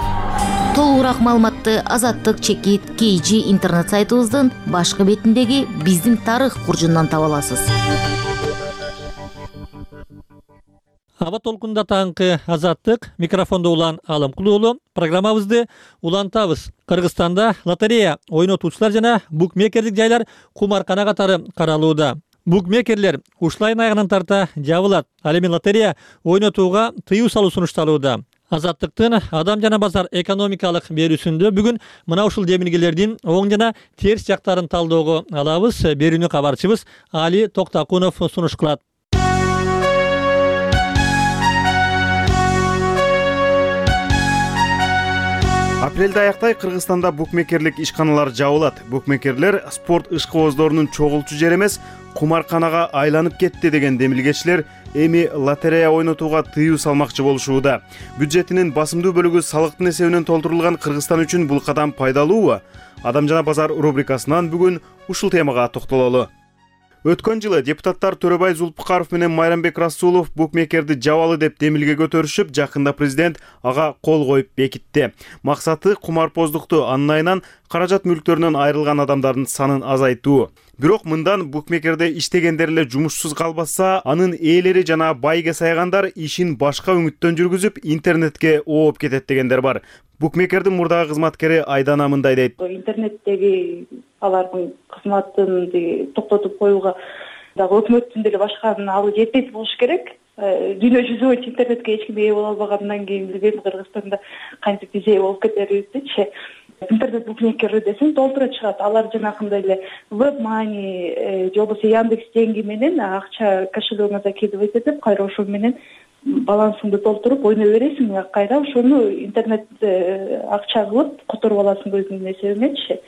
Толугураак маалыматты Азаттык чекит KG интернет сайтыбыздын башкы бетиндеги биздин тарых куржундан таба аласыз. Аба толкунда таңкы Азаттык, микрофондо Улан Алымкулуулу. Программабызды улантабыз. Кыргызстанда лотерея ойнотуучулар жана букмекерлик жайлар кумаркана катары каралууда. Букмекерлер ушул айдын аягынан тарта жабылат. Ал эми лотерея ойнотууга тыюу салуу сунушталууда. Азаттыктын адам жана базар экономикалык берүүсүндө бүгүн мына ушул демилгелердин оң жана терс жактарын талоого алабыз. Берүүнү кабарчыбыз Али Токтакунов сунуш кылат. Апрелде аяктай Кыргызстанда букмекерлик ишканалар жабылат. Букмекерлер спорт ишкыбоздорунун чогулчу жери эмес, кумарканага айланып кетти деген демилгечилер эми лотерея ойнотууга тыюу салмакчы болушууда. Бюджетинин басымдуу бөлүгү салыктын эсебинен толтурулган Кыргызстан үчүн бул кадам пайдалуубу? Адам жана базар рубрикасынан бүгүн ушул темага токтололу. Өткөн жылы депутаттар Төрөбай Зулпукаров менен Майрамбек Расулов букмекерди жабалы деп демилге көтөрүшүп, жакында президент ага кол коюп бекитти. Максаты кумарпоздукту, анын айынан каражат мүлктөрүнөн айрылган адамдардын санын азайтуу. Бирок мындан букмекерде иштегендер эле жумушсуз калбаса, анын ээлери жана байге саягандар ишин башка үмүттөн жүргүзүп, интернетке ооп кетет дегендер бар. Букмекердин мурдагы кызматкери Айдана мындай дейт. Интернеттеги алардын кызматын токтотуп коюуга дагы өкмөттүн деле башканын алуу жетпейт болуш керек. Дүйнө жүзү боюнча интернетке эч ким ээ боло албагандан кийин билбейм Кыргызстанда кантип биз ээ болуп кетерибизчи. Интернет букмекери десең толтура чыгат. Алар жанакындай эле WebMoney же болбосо Яндекс деньги менен акча кошелегиңизге кидип этип, кайра ошол менен балансыңды толтуруп ойной бересиң, кайра ошону интернет акча кылып которуп аласың өзүңдүн эсебиңечи.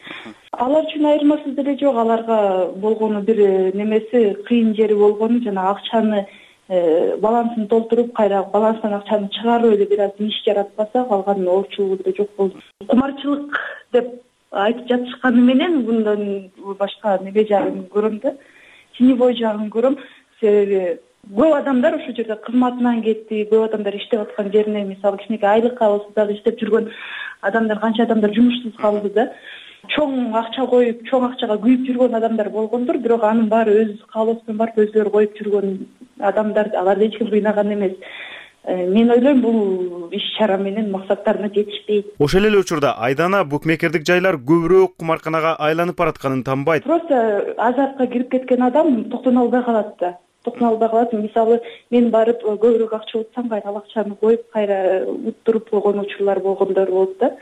Алар үчүн айырмасы деле жок. Аларга болгону бир немеси кыйын жери болгону жана акчаны балансын толтуруп, кайра баланстан акчаны чыгарып эле бир аз иш жаратпаса, калган оорчулугу деле жок болду. Кумарчылык деп айтып жатышканы менен мындан башка неге жагын көрөм да, тинебой жагын көрөм. Себеби көп адамдар ошол жерде кызматынан кетти, көп адамдар иштеп аткан жерине, мисалы кичинекей айлыкка болсо дагы иштеп жүргөн адамдар, канча адамдар жумушсуз калды да. Чоң акча коюп, чоң акчага күйүп жүргөн адамдар болгондур, бирок анын баары өз каалоосунан барып өзүлөрү коюп жүргөн адамдар, аларды эч ким кыйнаган эмес. Мен ойлойм бул иш-чара менен максаттарына жетишпейт. Ошол эле учурда Айдана букмекердик жайлар көбүрөөк кумарканага айланып баратканын тамбайт. Просто азартка кирип кеткен адам токтоно албай калат да. Токтоно албай калат. Мисалы, мен барып көбүрөөк акча утсам, кайра ал акчаны коюп, кайра уттуруп койгон учурлар болгондор болот да.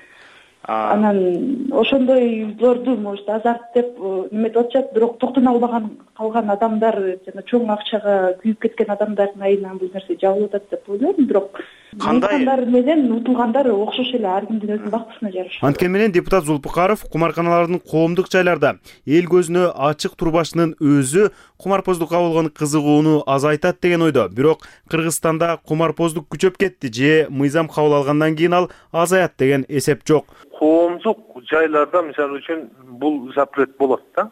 Анан ошондойлорду может азарт деп неметип атышат, бирок токтоно албаган калган адамдар жана чоң акчага күйүп кеткен адамдардын айынан бул нерсе жабылып атат деп ойлойм. Бирок кандай менен утулгандар окшош эле, ар кимдин өзүнүн бактысына жараша. Анткени менен депутат Зулпукаров кумарканалардын коомдук жайларда эл көзүнө ачык турбашынын өзү кумарпоздукка болгон кызыгууну азайтат деген ойдо. Бирок Кыргызстанда кумарпоздук күчөп кетти же мыйзам кабыл алгандан кийин ал азаят деген эсеп жок. Коомдук жайларда мисалы үчүн бул запрет болот да.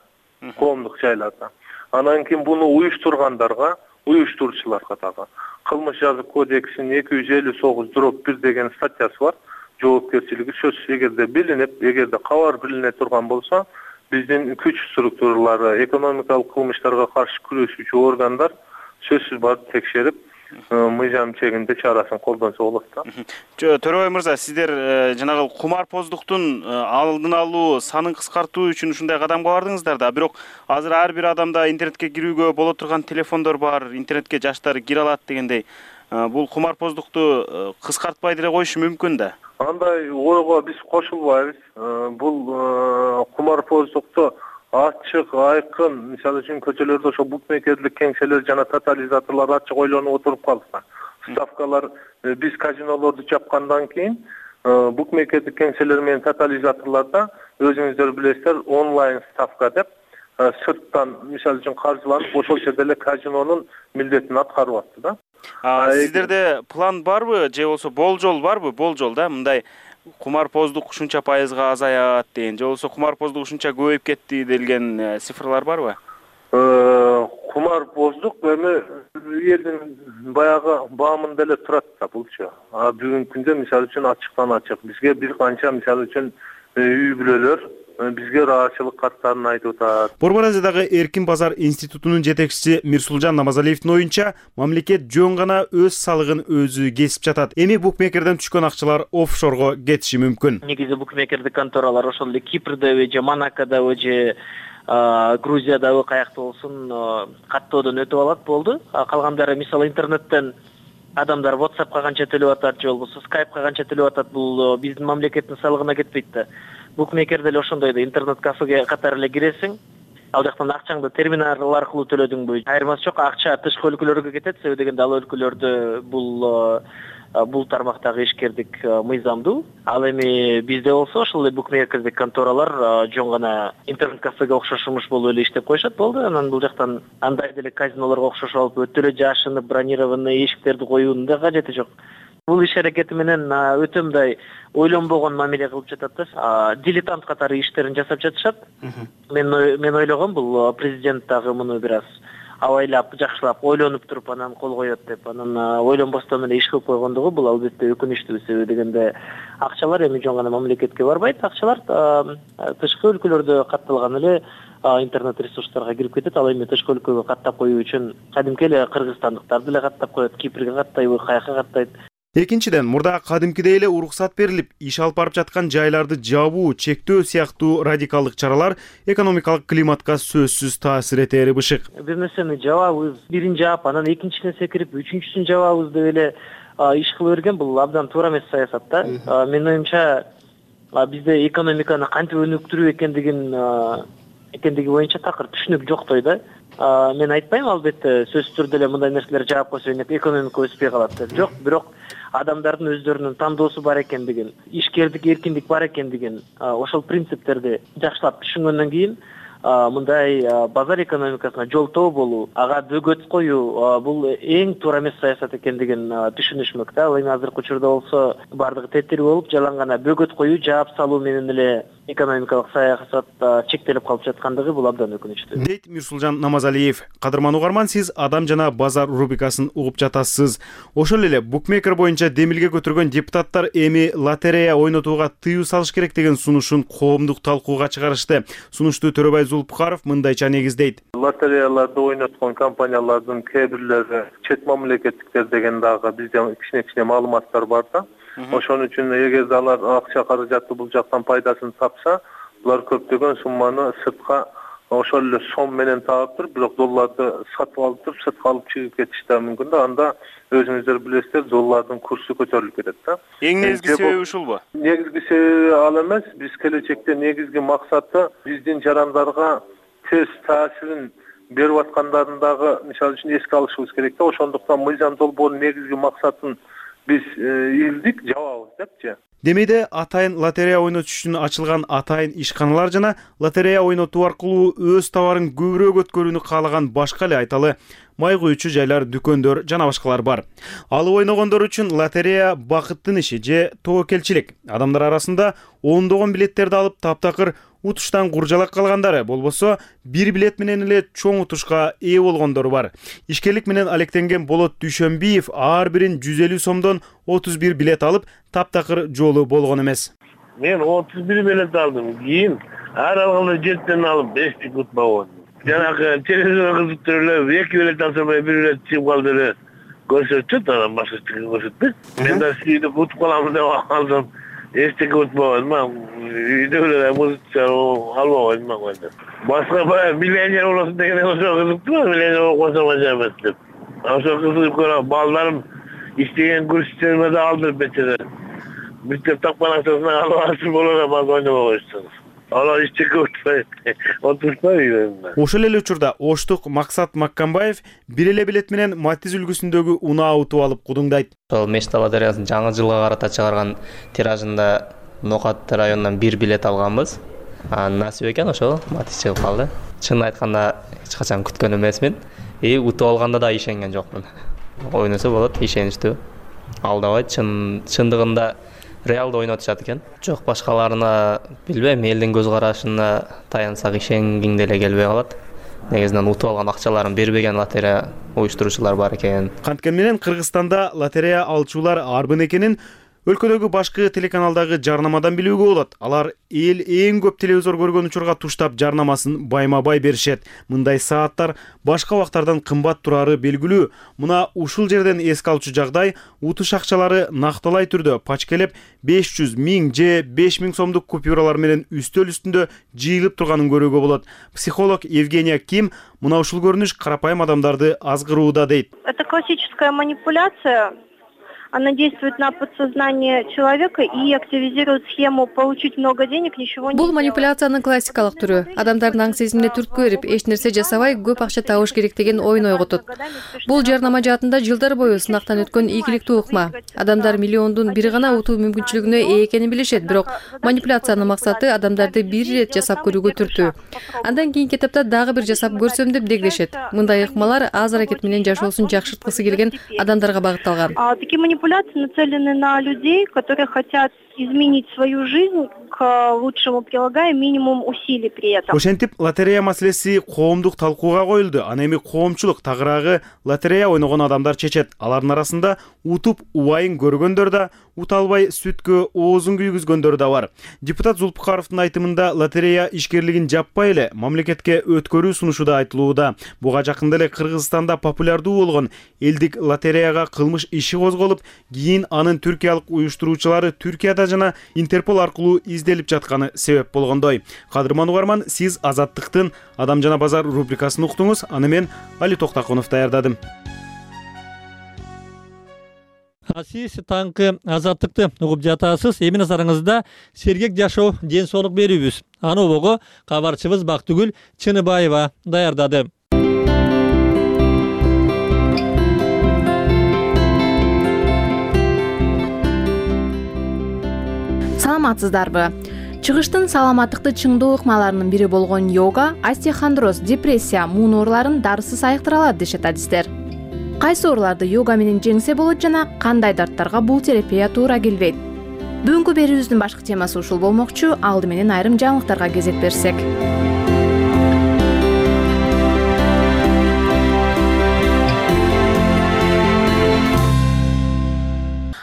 коомдук жайларда. Анан кийин буну уюштургандарга, уюштуруучуларга дагы кылмыш жазык кодексинин 259/1 деген статьясы бар. Жоопкерчилиги сөзсүз эгерде билинип, эгерде кабар билине турган болсо, биздин күч структуралары, экономикалык кылмыштарга каршы күрөшүүчү органдар сөзсүз барып текшерип, мыйзам чегинде чарасын колдонсо болот да. Төрөбай мырза, сиздер жанагы кумарпоздуктун алдын алуу, санын кыскартуу үчүн ушундай кадамга бардыңыздар да. Бирок азыр ар бир адамда интернетке кирүүгө боло турган телефондор бар, интернетке жаштар кире алат дегендей. Бул кумарпоздукту кыскартпай деле коюшу мүмкүн да. Андай ойго биз кошулбайбыз. Бул кумарпоздукту ачык, айкын, мисалы үчүн көчөлөрдө ошо букмекерлик кеңселер жана тотализаторлор ачык ойлонуп отуруп калса. Ставкалар биз казинолорду жапкандан кийин букмекерлик кеңселер менен тотализаторлордо өзүңүздөр билесиздер, онлайн ставка деп сырттан мисалы үчүн каржыланып ошол жерде эле казинонун милдетин аткарып атты да. Сиздерде план барбы же болсо болжол барбы? Болжол да, мындай кумарпоздук ушунча пайызга азаят деген, же болсо кумарпоздук ушунча көбөйүп кетти делген цифрлар барбы? Кумарпоздук эми элдин баягы баамында эле турат да булчу. Бүгүнкү күндө мисалы үчүн ачыктан ачык бизге бир канча мисалы үчүн үй бүлөлөр бизге ыраазычылык каттарын айтып атат. Борбор Азиядагы Эркин базар институтунун жетекчиси Мирсулжан Намазалиевдин оюнча, мамлекет жөн гана өз салыгын өзү кесип жатат. Эми букмекерден түшкөн акчалар офшорго кетиши мүмкүн. Негизи букмекердик конторалар ошол эле Кипрдеби же Монакодобу же Грузиядагы каякта болсун каттоодон өтүп алат болду. Калгандары мисалы интернеттен адамдар WhatsAppка канча төлөп атат же болбосо Skype'ка канча төлөп атат, бул биздин мамлекеттин салыгына кетпейт да. Букмекерде эле ошондой да, интернет кафеге катары эле киресиң, ал жактан акчаңды терминал аркылуу төлөдүңбү, айырмасы жок, акча тышкы өлкөлөргө кетет, себеби дегенде ал өлкөлөрдө бул тармактагы ишкердик мыйзамдуу. Ал эми бизде болсо ошол эле букмекердик конторалар жөн гана интернет кафеге окшошумуш болуп эле иштеп коюшат болду. Анан бул жактан андай деле казинолорго окшош алып өтө эле жашынып бронированный эшиктерди коюунун да кажети жок. Бул иш аракети менен өтө мындай ойлонбогон мамиле кылып жатат да. Дилетант катары иштерин жасап жатышат. Мен ойлогом бул президент дагы муну бир аз абайлап, жакшылап ойлонуп туруп анан кол коет деп, анан ойлонбостон эле иш кылып койгондугу бул албетте өкүнүчтүү, себеби дегенде акчалар эми жөн гана мамлекетке барбайт, акчалар тышкы өлкөлөрдө катталган эле интернет ресурстарга кирип кетет. Ал эми тышкы өлкөгө каттап коюу үчүн кадимки эле кыргызстандыктарды эле каттап коет, Кипрге каттайбы, каяка каттайт. Экинчиден, мурда кадимкидей эле уруксат берилип, иш алып барып жаткан жайларды жабуу, чектөө сыяктуу радикалдык чаралар экономикалык климатка сөзсүз таасир этери бышык. Бир нерсени жабабыз, бирин жаап, анан экинчисине секирип, үчүнчүсүн жабабыз деп эле иш кыла берген бул абдан туура эмес саясат да. Менин оюмча бизде экономиканы кантип өнүктүрүү экендиги боюнча такыр түшүнүк жоктой да. Мен айтпайм, албетте сөзсүз түрдө эле мындай нерселер жаап койсо экономика өспөй калат деп. Жок, бирок адамдардын өздөрүнүн тандоосу бар экендигин, ишкердик эркиндик бар экендигин, ошол принциптерди жакшылап түшүнгөндөн кийин мындай базар экономикасына жолтоо болуу, ага бөгөт коюу бул эң туура эмес саясат экендигин түшүнүшмөк да. Ал эми азыркы учурда болсо бардыгы тетири болуп, жалаң гана бөгөт коюу, жаап салуу менен эле экономикалык саясат чектелип калып жаткандыгы бул абдан өкүнүчтүү. Дейт Мирсулжан Намазалиев. Кадырман угарман, сиз Адам жана базар рубрикасын угуп жатасыз. Ошол эле букмекер боюнча демилге көтөргөн депутаттар эми лотерея ойнотууга тыюу салыш керек деген сунушун коомдук талкууга чыгарышты. Сунушту Төрөбай Зулпукаров мындайча негиздейт. Лотереяларды ойноткон компаниялардын кээ бирлери чет мамлекеттиктер деген дагы бизде кичине маалыматтар бар да. Ошон үчүн эгерде алар акча каражатты бул жактан пайдасын тапса, булар көптөгөн сумманы сыртка ошол эле сом менен таап туруп, бирок долларды сатып алып туруп, сыртка алып чыгып кетиши да мүмкүн да. Анда өзүңүздөр билесиздер, доллардын курсу көтөрүлүп кетет да. Эң негизги себеби ушулбу? Негизги себеби ал эмес. Биз келечекте негизги максаты биздин жарандарга тез таасирин берип аткандарын дагы мисалы үчүн эске алышыбыз керек да. Ошондуктан мыйзам долбоорунун негизги максатын биз илдик, жабабыз депчи. Демейде атайын лотерея ойнотуш үчүн ачылган атайын ишканалар жана лотерея ойнотуу аркылуу өз товарын көбүрөөк өткөрүүнү каалаган башка эле айталы май куючу жайлар, дүкөндөр жана башкалар бар. Алып ойногондор үчүн лотерея бакыттын иши же тобокелчилик. Адамдар арасында ондогон билеттерди алып таптакыр утуштан куржалак калгандары, болбосо бир билет менен эле чоң утушка ээ болгондору бар. Ишкерлик менен алектенген Болот Дүйшөнбиев ар бирин 150 сомдон 31 билет алып, таптакыр жолу болгон эмес. Мен 31 билет алдым. Кийин ар алганда 7ден алып 5 утпа болдум. Жанагы телевизор кызыктырып, 2 билет алсамай 1 билет чыгып калды эле. Көрсөтүп, анан башкача көрсөтпөйт. Мен да сүйүнүп утуп каламын деп алсам, эчтеке утпабадым. Үйдө эле музыка албабадым. Башка баягы миллионер болосун деген ошо кызыктуу, миллионер болуп калсам ажайып эмес деп. Ошо кызыгып көрөм. Балдарым иштеген курстериме да алдырып бечере. Мектеп такпанакчасына алып ашып болора бак ойнобой коюшту. Алар эчтеке отурушпай. Ошол эле учурда Оштук Максат Маккамбаев бир эле билет менен Матиз үлгүсүндөгү унаа утуп алып кудуңдайт. Ошол Мечта лотереясынын жаңы жылга карата чыгарган тиражында Нокат районунан 1 билет алганбыз. Насип экен ошол Матиз чыгып калды. Чын айтканда эч качан күткөн эмесмин. Утуп алганда да ишенген жокмун. Ойносо болот, ишеничтүү. Алдабайт, чындыгында реалды ойнотушат экен. Жок, башкаларына билбейм, элдин көз карашына таянсак ишенгиң деле келбей калат. Негизинен утуп алган акчаларын бербеген лотерея уюштуруучулар бар экен. Канткени менен Кыргызстанда лотерея алчулар арбын экенин өлкөдөгү башкы телеканалдагы жарнамадан билүүгө болот. Алар эл эң көп телевизор көргөн учурга туштап жарнамасын байма-бай беришет. Мындай сааттар башка убактардан кымбат турары белгилүү. Мына ушул жерден эске алчу жагдай утуш акчалары накталай түрдө пачкелеп 500, 1000 же 5000 сомдук купюралар менен үстөл үстүндө жыйылып турганын көрүүгө болот. Психолог Евгения Ким мына ушул көрүнүш карапайым адамдарды азгырууда дейт. Это классическая манипуляция. Она действует на подсознание человека и активизирует схему получить много денег, ничего не Бул манипуляциянын классикалык түрү. Адамдардын аң сезимине түрткү берип, эч нерсе жасабай көп акча табыш керек деген ойун ойготот. Бул жарнама жаатында жылдар бою сынактан өткөн ийгиликтүү ыкма. Адамдар миллиондун бир гана утуу мүмкүнчүлүгүнө ээ экенин билишет, бирок манипуляциянын максаты адамдарды бир ирет жасап көрүүгө түртүү. Андан кийинки этапта дагы бир жасап көрсөм деп дегдешет. Мындай ыкмалар аз аракет менен жашоосун жакшырткысы келген адамдарга багытталган. Манипуляции нацелены на людей, которые хотят изменить свою жизнь к лучшему, прилагая минимум усилий при этом. Ошентип лотерея маселеси коомдук талкууга коюлду. Аны эми коомчулук тагыраагы лотерея ойногон адамдар чечет. Алардын арасында утуп убайын көргөндөр да, ута албай сүткө оозун күйгүзгөндөр да бар. Депутат Зулпукаровдун айтымында лотерея ишкерлигин жаппай эле мамлекетке өткөрүү сунушу да айтылууда. Буга жакында эле Кыргызстанда популярдуу болгон элдик лотереяга кылмыш иши козголуп, кийин анын түркиялык уюштуруучулары Түркияда жана Интерпол аркылуу изделип жатканы себеп болгондой. Кадырман угарман, сиз Азаттыктын Адам жана базар рубрикасын уктуңуз. Аны мен Али Токтакунов даярдадым. Сиз таңкы Азаттыкты угуп жатасыз. Эми назарыңызда сергек жашоо, ден соолук берүүбүз. Аны обого кабарчыбыз Бактыгүл Чыныбаева даярдады. Саламатсыздарбы? Чыгыштын саламаттыкты чыңдоо ыкмаларынын бири болгон йога, остеохондроз, депрессия, муун ооруларын дарысыз айыктыра алат дешет адистер. Кайсы ооруларды йога менен жеңсе болот жана кандай дарттарга бул терапия туура келбейт? Бүгүнкү берүүбүздүн башкы темасы ушул болмокчу. Алды менен айрым жаңылыктарга кезек берсек.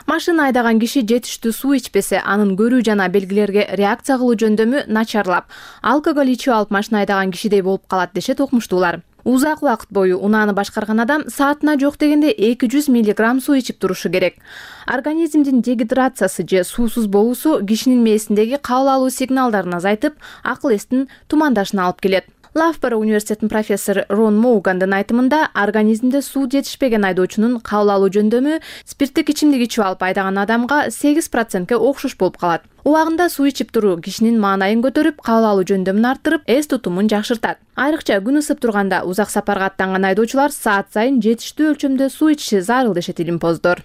Машина айдаган киши жетиштүү суу ичпесе, анын көрүү жана белгилерге реакция кылуу жөндөмү начарлап, алкоголь ичип алып машина айдаган кишидей болуп калат дешет окумуштуулар. Узак убакыт бою унааны башкарган адам саатына жок дегенде 200 мг суу ичип турушу керек. Организмдин дегидрациясы же суусуз болуусу кишинин мээсиндеги кабыл алуу сигналдарын азайтып, акыл эстин тумандашына алып келет. Лафборо университетинин профессору Рон Моугандын айтымында, организмде суу жетишпеген айдоочунун кабыл алуу жөндөмү спирттик ичимдик ичип алып айдаган адамга 8%ке окшош болуп калат. Убагында суу ичип туруу кишинин маанайын көтөрүп, кабыл алуу жөндөмүн арттырып, эс тутумун жакшыртат. Айрыкча күн ысып турганда узак сапарга аттанган айдоочулар саат сайын жетиштүү өлчөмдө суу ичиши зарыл дешет илимпоздор.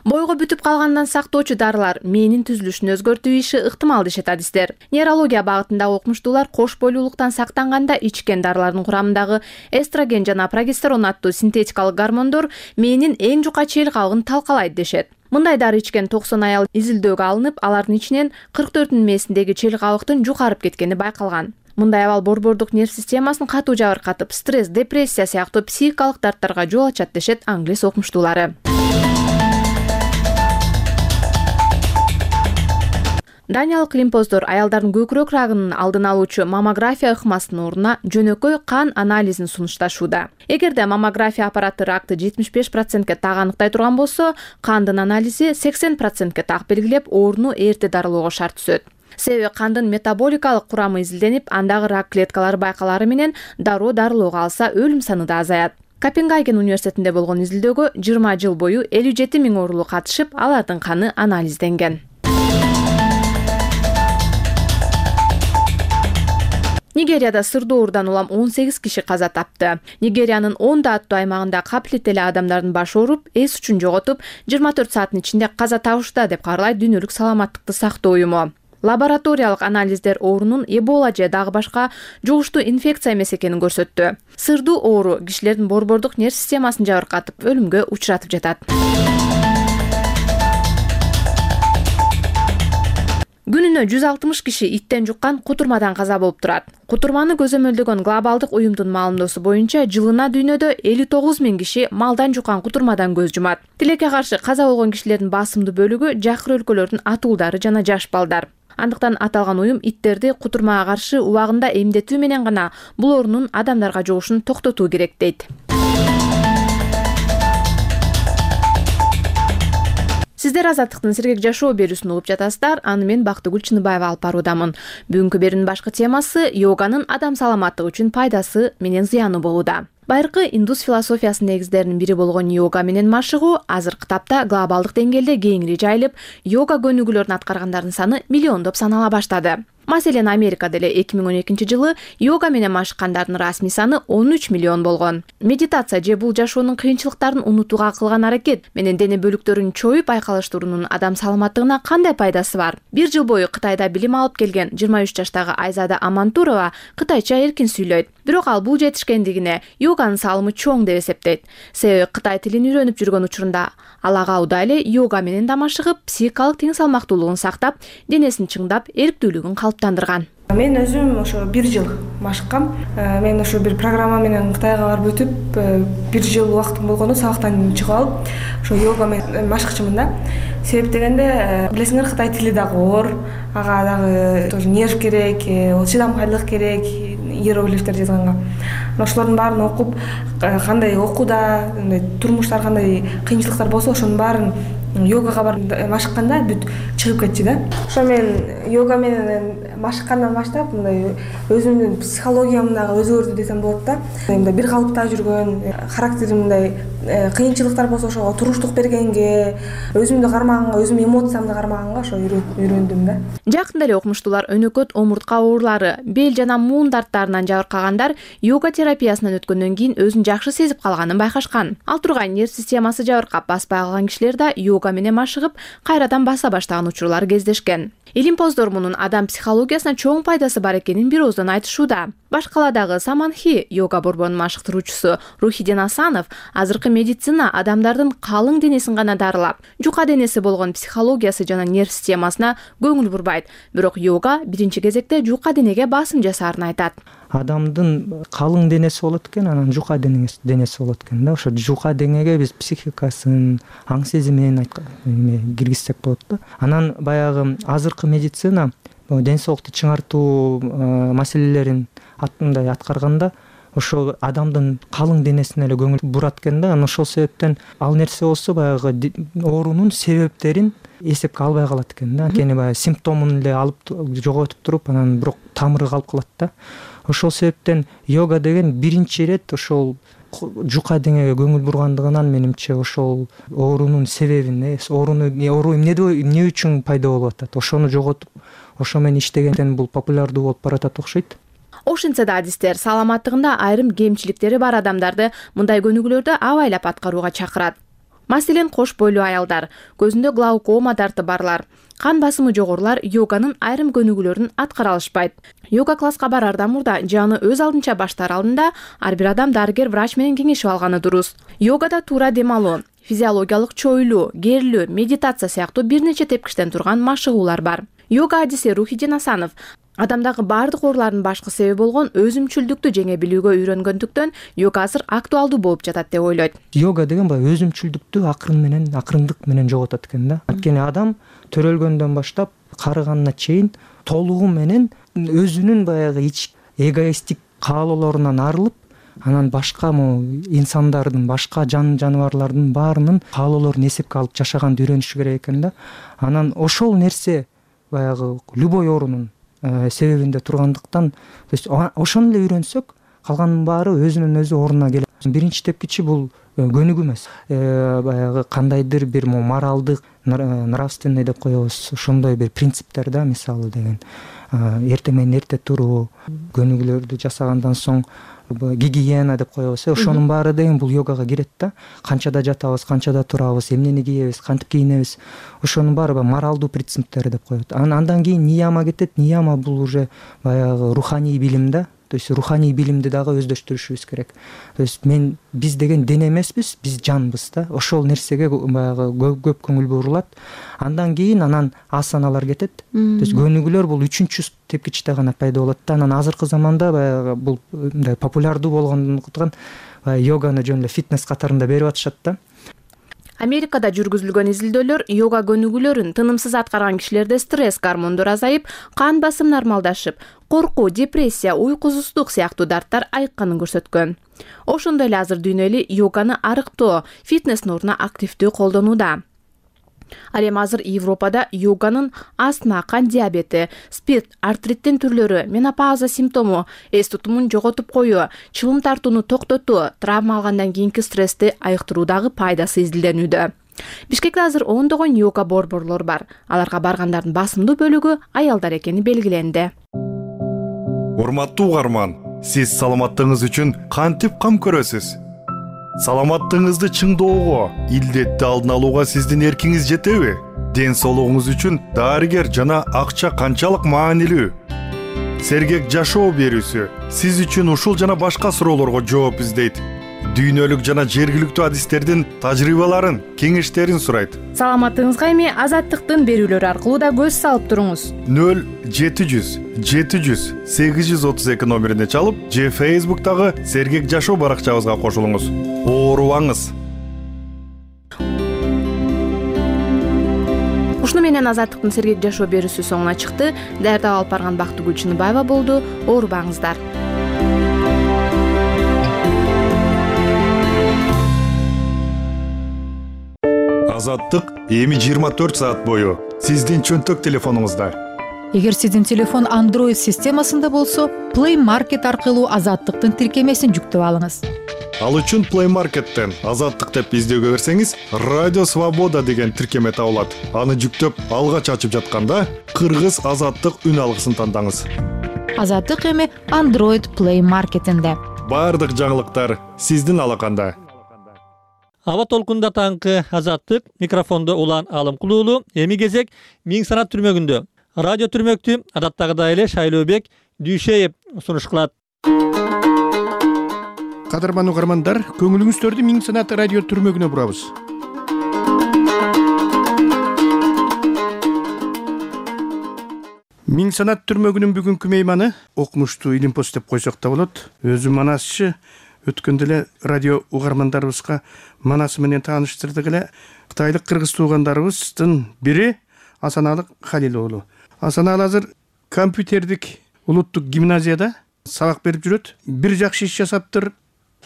Бойго бүтүп калгандан сактоочу дарылар мээнин түзүлүшүн өзгөртүү иши ыктымал дешет адистер. Нейрология багытындагы окумуштуулар кош бойлуулуктан сактанганда ичкен дарылардын курамындагы эстроген жана прогестерон аттуу синтетикалык гормондор мээнин эң жука чейил кабыгын талкалайт дешет. Мындай дары ичкен 90 аял изилдөөгө алынып, алардын ичинен 44-нүн мээсиндеги чел кабыктын жукарып кеткени байкалган. Мындай абал борбордук нерв системасын катуу жабыркатып, стресс, депрессия сыяктуу психикалык дарттарга жол ачат дешет англис окумуштуулары. Даниялык лимпоздор аялдардын көкүрөк рагынын алдын алуучу маммография ыкмасынын ордуна жөнөкөй кан анализин сунушташууда. Эгерде маммография аппараты ракты 75%ке так аныктай турган болсо, кандын анализи 80%ке так белгилеп, ооруну эрте дарылоого шарт түзөт. Себеби кандын метаболикалык курамы изилденип, андагы рак клеткалары байкалары менен дароо дарылоого алса, өлүм саны да азаят. Копенгаген университетинде болгон изилдөөгө 20 жыл бою 57 000 оорулуу катышып, алардын каны анализденген. Нигерияда сырдуу оорудан улам 18 киши каза тапты. Нигериянын 10 аттуу аймагында капилеттүү эле адамдардын башы ооруп, эс үчүн жоготуп, 24 сааттын ичинде каза табышты деп кабарлайт Дүйнөлүк саламаттыкты сактоо уюму. Лабораториялык анализдер оорунун Эбола же дагы башка жугуштуу инфекция эмес экенин көрсөттү. Сырдуу оору кишилердин борбордук нерв системасын жабыркатып, өлүмгө учуратып жатат. Күнүнө 160 киши иттен жуккан кутурмадан каза болуп турат. Кутурманы көзөмөлдөгөн глобалдык уюмдун маалымдоосу боюнча жылына дүйнөдө 59 000 киши малдан жуккан кутурмадан көз жумат. Тилекке каршы каза болгон кишилердин басымдуу бөлүгү жакыр өлкөлөрдүн атуулдары жана жаш балдар. Андыктан аталган уюм иттерди кутурмага каршы убагында эмдетүү менен гана бул оорунун адамдарга жугушун токтотуу керек дейт. Сиздер Азаттыктын сергек жашоо берүүсүн угуп жатасыздар. Аны мен Бактыгүл Чыныбаева алып баруудамын. Бүгүнкү берүүнүн башкы темасы йоганын адам саламаттыгы үчүн пайдасы менен зыяны болууда. Байыркы индус философиясынын негиздеринин бири болгон йога менен машыгуу азыркы тапта глобалдык деңгээлде кеңири жайылып, йога көнүгүүлөрүн аткаргандардын саны миллиондоп санала баштады. Маселен, Америкада эле 2012 жылы йога менен машыккандардын расмий саны 13 миллион болгон. Медитация же бул жашоонун кыйынчылыктарын унутууга кылган аракет менен дене бөлүктөрүн чоюп айкалыштыруунун адам саламаттыгына кандай пайдасы бар? Бир жыл бою Кытайда билим алып келген 23 жаштагы Айзада Амантурова кытайча эркин сүйлөйт. Бирок ал бул жетишкендигине йоганын салымы чоң деп эсептейт. Себеби Кытай тилин үйрөнүп жүргөн учурунда ал ага уда эле йога менен да машыгып, психикалык тең салмактуулугун сактап, денесин чыңдап, эрктүүлүгүн калыптандырган. Мен өзүм ошо 1 жыл машыккам. Мен ошо бир программа менен Кытайга барып өтүп, 1 жыл убактым болгондо сабактан чыгып алып, ошо йога менен машыкчымын да. Себеп дегенде, билесиңер, Кытай тили дагы оор, ага дагы тоже нерв керек, чыдамкайлык керек, иероглифтер жазганга. Ошолордун баарын окуп, кандай окууда, турмуштар кандай кыйынчылыктар болсо, ошонун баарын йогага барып машыкканда бүт чыгып кетчү да. Ошо мен йога менен машыккандан баштап мындай өзүмдүн психологиям дагы өзгөрдү десем болот да. Мындай бир калыпта жүргөн, характерим мындай кыйынчылыктар болсо ошого туруштук бергенге, өзүмдү кармаганга, өзүмдүн эмоциямды кармаганга ошо үйрөндүм да. Жакында эле окумуштуулар өнөкөт омуртка оорулары, бел жана муун дарттарынан жабыркагандар йога терапиясынан өткөндөн кийин өзүн жакшы сезип калганын байкашкан. Ал тургай нерв системасы жабыркап баспай калган кишилер да йога менен машыгып, кайрадан баса баштаган учурлар кездешкен. Илимпоздор мунун адам психологиясына чоң пайдасы бар экенин бир ооздон айтышууда. Башкаладагы Саманхи йога борборунун машыктыруучусу Рухиден Асанов азыркы медицина адамдардын калың денесин гана дарылап, жука денеси болгон психологиясы жана нерв системасына көңүл бурбайт. Бирок йога биринчи кезекте жука денеге басым жасаарын айтат. Адамдын калың денеси болот экен, анан жука денеси болот экен да. Ошо жука денеге биз психикасын, аң сезимин киргизсек болот да. Анан баягы азыркы медицина ден соолукту чыңартуу маселелерин аткарганда ошо адамдын калың денесине эле көңүл бурат экен да. Анан ошол себептен ал нерсе болсо баягы оорунун себептерин эсепке албай калат экен да. Анткени баягы симптомун эле алып жоготуп туруп, анан бирок тамыры калып калат да. Ошол себептен йога деген биринчи ирет ошол жука денеге көңүл бургандыгынан менимче ошол оорунун себебин, оору эмне үчүн пайда болуп атат, ошону жоготуп, ошо менен иштегенден бул популярдуу болуп баратат окшойт. Ошентсе да адистер саламаттыгында айрым кемчиликтери бар адамдарды мындай көнүгүүлөрдү абайлап аткарууга чакырат. Маселен, кош бойлуу аялдар, көзүндө глаукома дарты барлар, кан басымы жогорулар йоганын айрым көнүгүүлөрүн аткара алышпайт. Йога класска барардан мурда же аны өз алдынча баштаар алдында ар бир адам дарыгер врач менен кеңешип алганы дурус. Йогада туура дем алуу, физиологиялык чойлуу, керилүү, медитация сыяктуу бир нече тепкичтен турган машыгуулар бар. Йога адиси Рухидин Асанов адамдагы баардык оорулардын башкы себеби болгон өзүмчүлдүктү жеңе билүүгө үйрөнгөндүктөн йога азыр актуалдуу болуп жатат деп ойлойт. Йога деген баягы өзүмчүлдүктү акырындык менен жоготот экен да. Анткени адам төрөлгөндөн баштап карыганына чейин толугу менен өзүнүн баягы эгоисттик каалоолорунан арылып, анан башка инсандардын, башка жаныбарлардын баарынын каалоолорун эсепке алып жашаганды үйрөнүшү керек экен да. Анан ошол нерсе баягы любой оорунун себебинде тургандыктан, то есть ошону эле үйрөнсөк, калганын баары өзүнөн өзү ордуна келет. Биринчи тепкичи бул көнүгүү эмес. Баягы кандайдыр бир моралдык, нравственный деп коебуз, ошондой бир принциптер да, мисалы деген. Эртең менен эрте туруу, көнүгүүлөрдү жасагандан соң гигиена деп коебуз. Ошонун баары деген бул йогага кирет да. Канчада жатабыз, канчада турабыз, эмнени кийебиз, кантип кийинебиз. Ошонун баары моралдуу принциптер деп коет. Андан кийин нияма кетет. Нияма бул уже баягы руханий билим да. То есть руханий билимди дагы өздөштүрүшүбүз керек. То есть биз деген дене эмеспиз, биз жанбыз да. Ошол нерсеге баягы көп көңүл бурулат. Андан кийин асаналар кетет. То есть көнүгүүлөр бул 3-чү тепкичте гана пайда болот да. Анан азыркы заманда баягы бул мындай популярдуу болгондуктан йоганы жөн эле фитнес катарында берип атышат да. Америкада жүргүзүлгөн изилдөөлөр йога көнүгүүлөрүн тынымсыз аткарган кишилерде стресс гормондору азайып, кан басым нормалдашып, коркуу, депрессия, уйкусуздук сыяктуу дарттар айыкканын көрсөткөн. Ошондой эле азыр дүйнө эли йоганы арыктоо, фитнестин ордуна активдүү колдонууда. Ал эми азыр Европада йоганын астма, кан диабети, спирт, артриттин түрлөрү, менопауза симптому, эс тутумун жоготуп коюу, чылым тартууну токтотуу, травма алгандан кийинки стрессти айыктыруудагы пайдасы изилденүүдө. Бишкекте азыр ондогон йога борборлор бар. Аларга баргандардын басымдуу бөлүгү аялдар экени белгиленди. Урматтуу угарман, сиз саламаттыгыңыз үчүн кантип кам көрөсүз? Саламаттыгыңызды чыңдоого, илдетти алдын алууга сиздин эркиңиз жетеби? Ден соолугуңуз үчүн дарыгер жана акча канчалык маанилүү? Сергек жашоо берүүсү сиз үчүн ушул жана башка суроолорго жооп издейт. Дүйнөлүк жана жергиликтүү адистердин тажрыйбаларын, кеңештерин сурайт. Саламаттыгыңызга эми Азаттыктын берүүлөрү аркылуу да көз салып туруңуз. 0700 700 832 номерине чалып, же Facebook'тагы Сергек жашоо баракчабызга кошулуңуз. Оорубаңыз. Ушуну менен Азаттыктын Сергек жашоо берүүсү соңуна чыкты. Даярдап алып барган Бактыгүл Чыныбаева болду. Оорубаңыздар. Азаттык эми 24 саат бою сиздин чөнтөк телефонуңузда. Эгер сиздин телефон Android системасында болсо, Play Market аркылуу Азаттыктын тиркемесин жүктөп алыңыз. Ал үчүн Play Market'тен Азаттык деп издөөгө берсеңиз, Радио Свобода деген тиркеме табылат. Аны жүктөп алгач ачып жатканда, кыргыз Азаттык үн алгысын тандаңыз. Азаттык эми Android Play Market'инде. Бардык жаңылыктар сиздин алаканда. Аба толкунда таңкы Азаттык, микрофондо Улан Алымкулуулу, эми кезек Миң санат түрмөгүндө. Радио түрмөктү адаттагыдай эле Шайлообек Дүйшеев сунуш кылат. Кадырман угармандар, көңүлүңүздөрдү Миң санат радио түрмөгүнө бурабыз. Миң санат түрмөгүнүн бүгүнкү мейманы окумуштуу Илимпос деп койсок да болот. Өзү манасчы. Өткөндө эле радио угармандарыбызга манасы менен тааныштырдык эле. Кытайлык кыргыз туугандарыбыздын бири Асаналы Халил уулу. Асаналы азыр компьютердик улуттук гимназияда сабак берип жүрөт. Бир жакшы иш жасаптыр.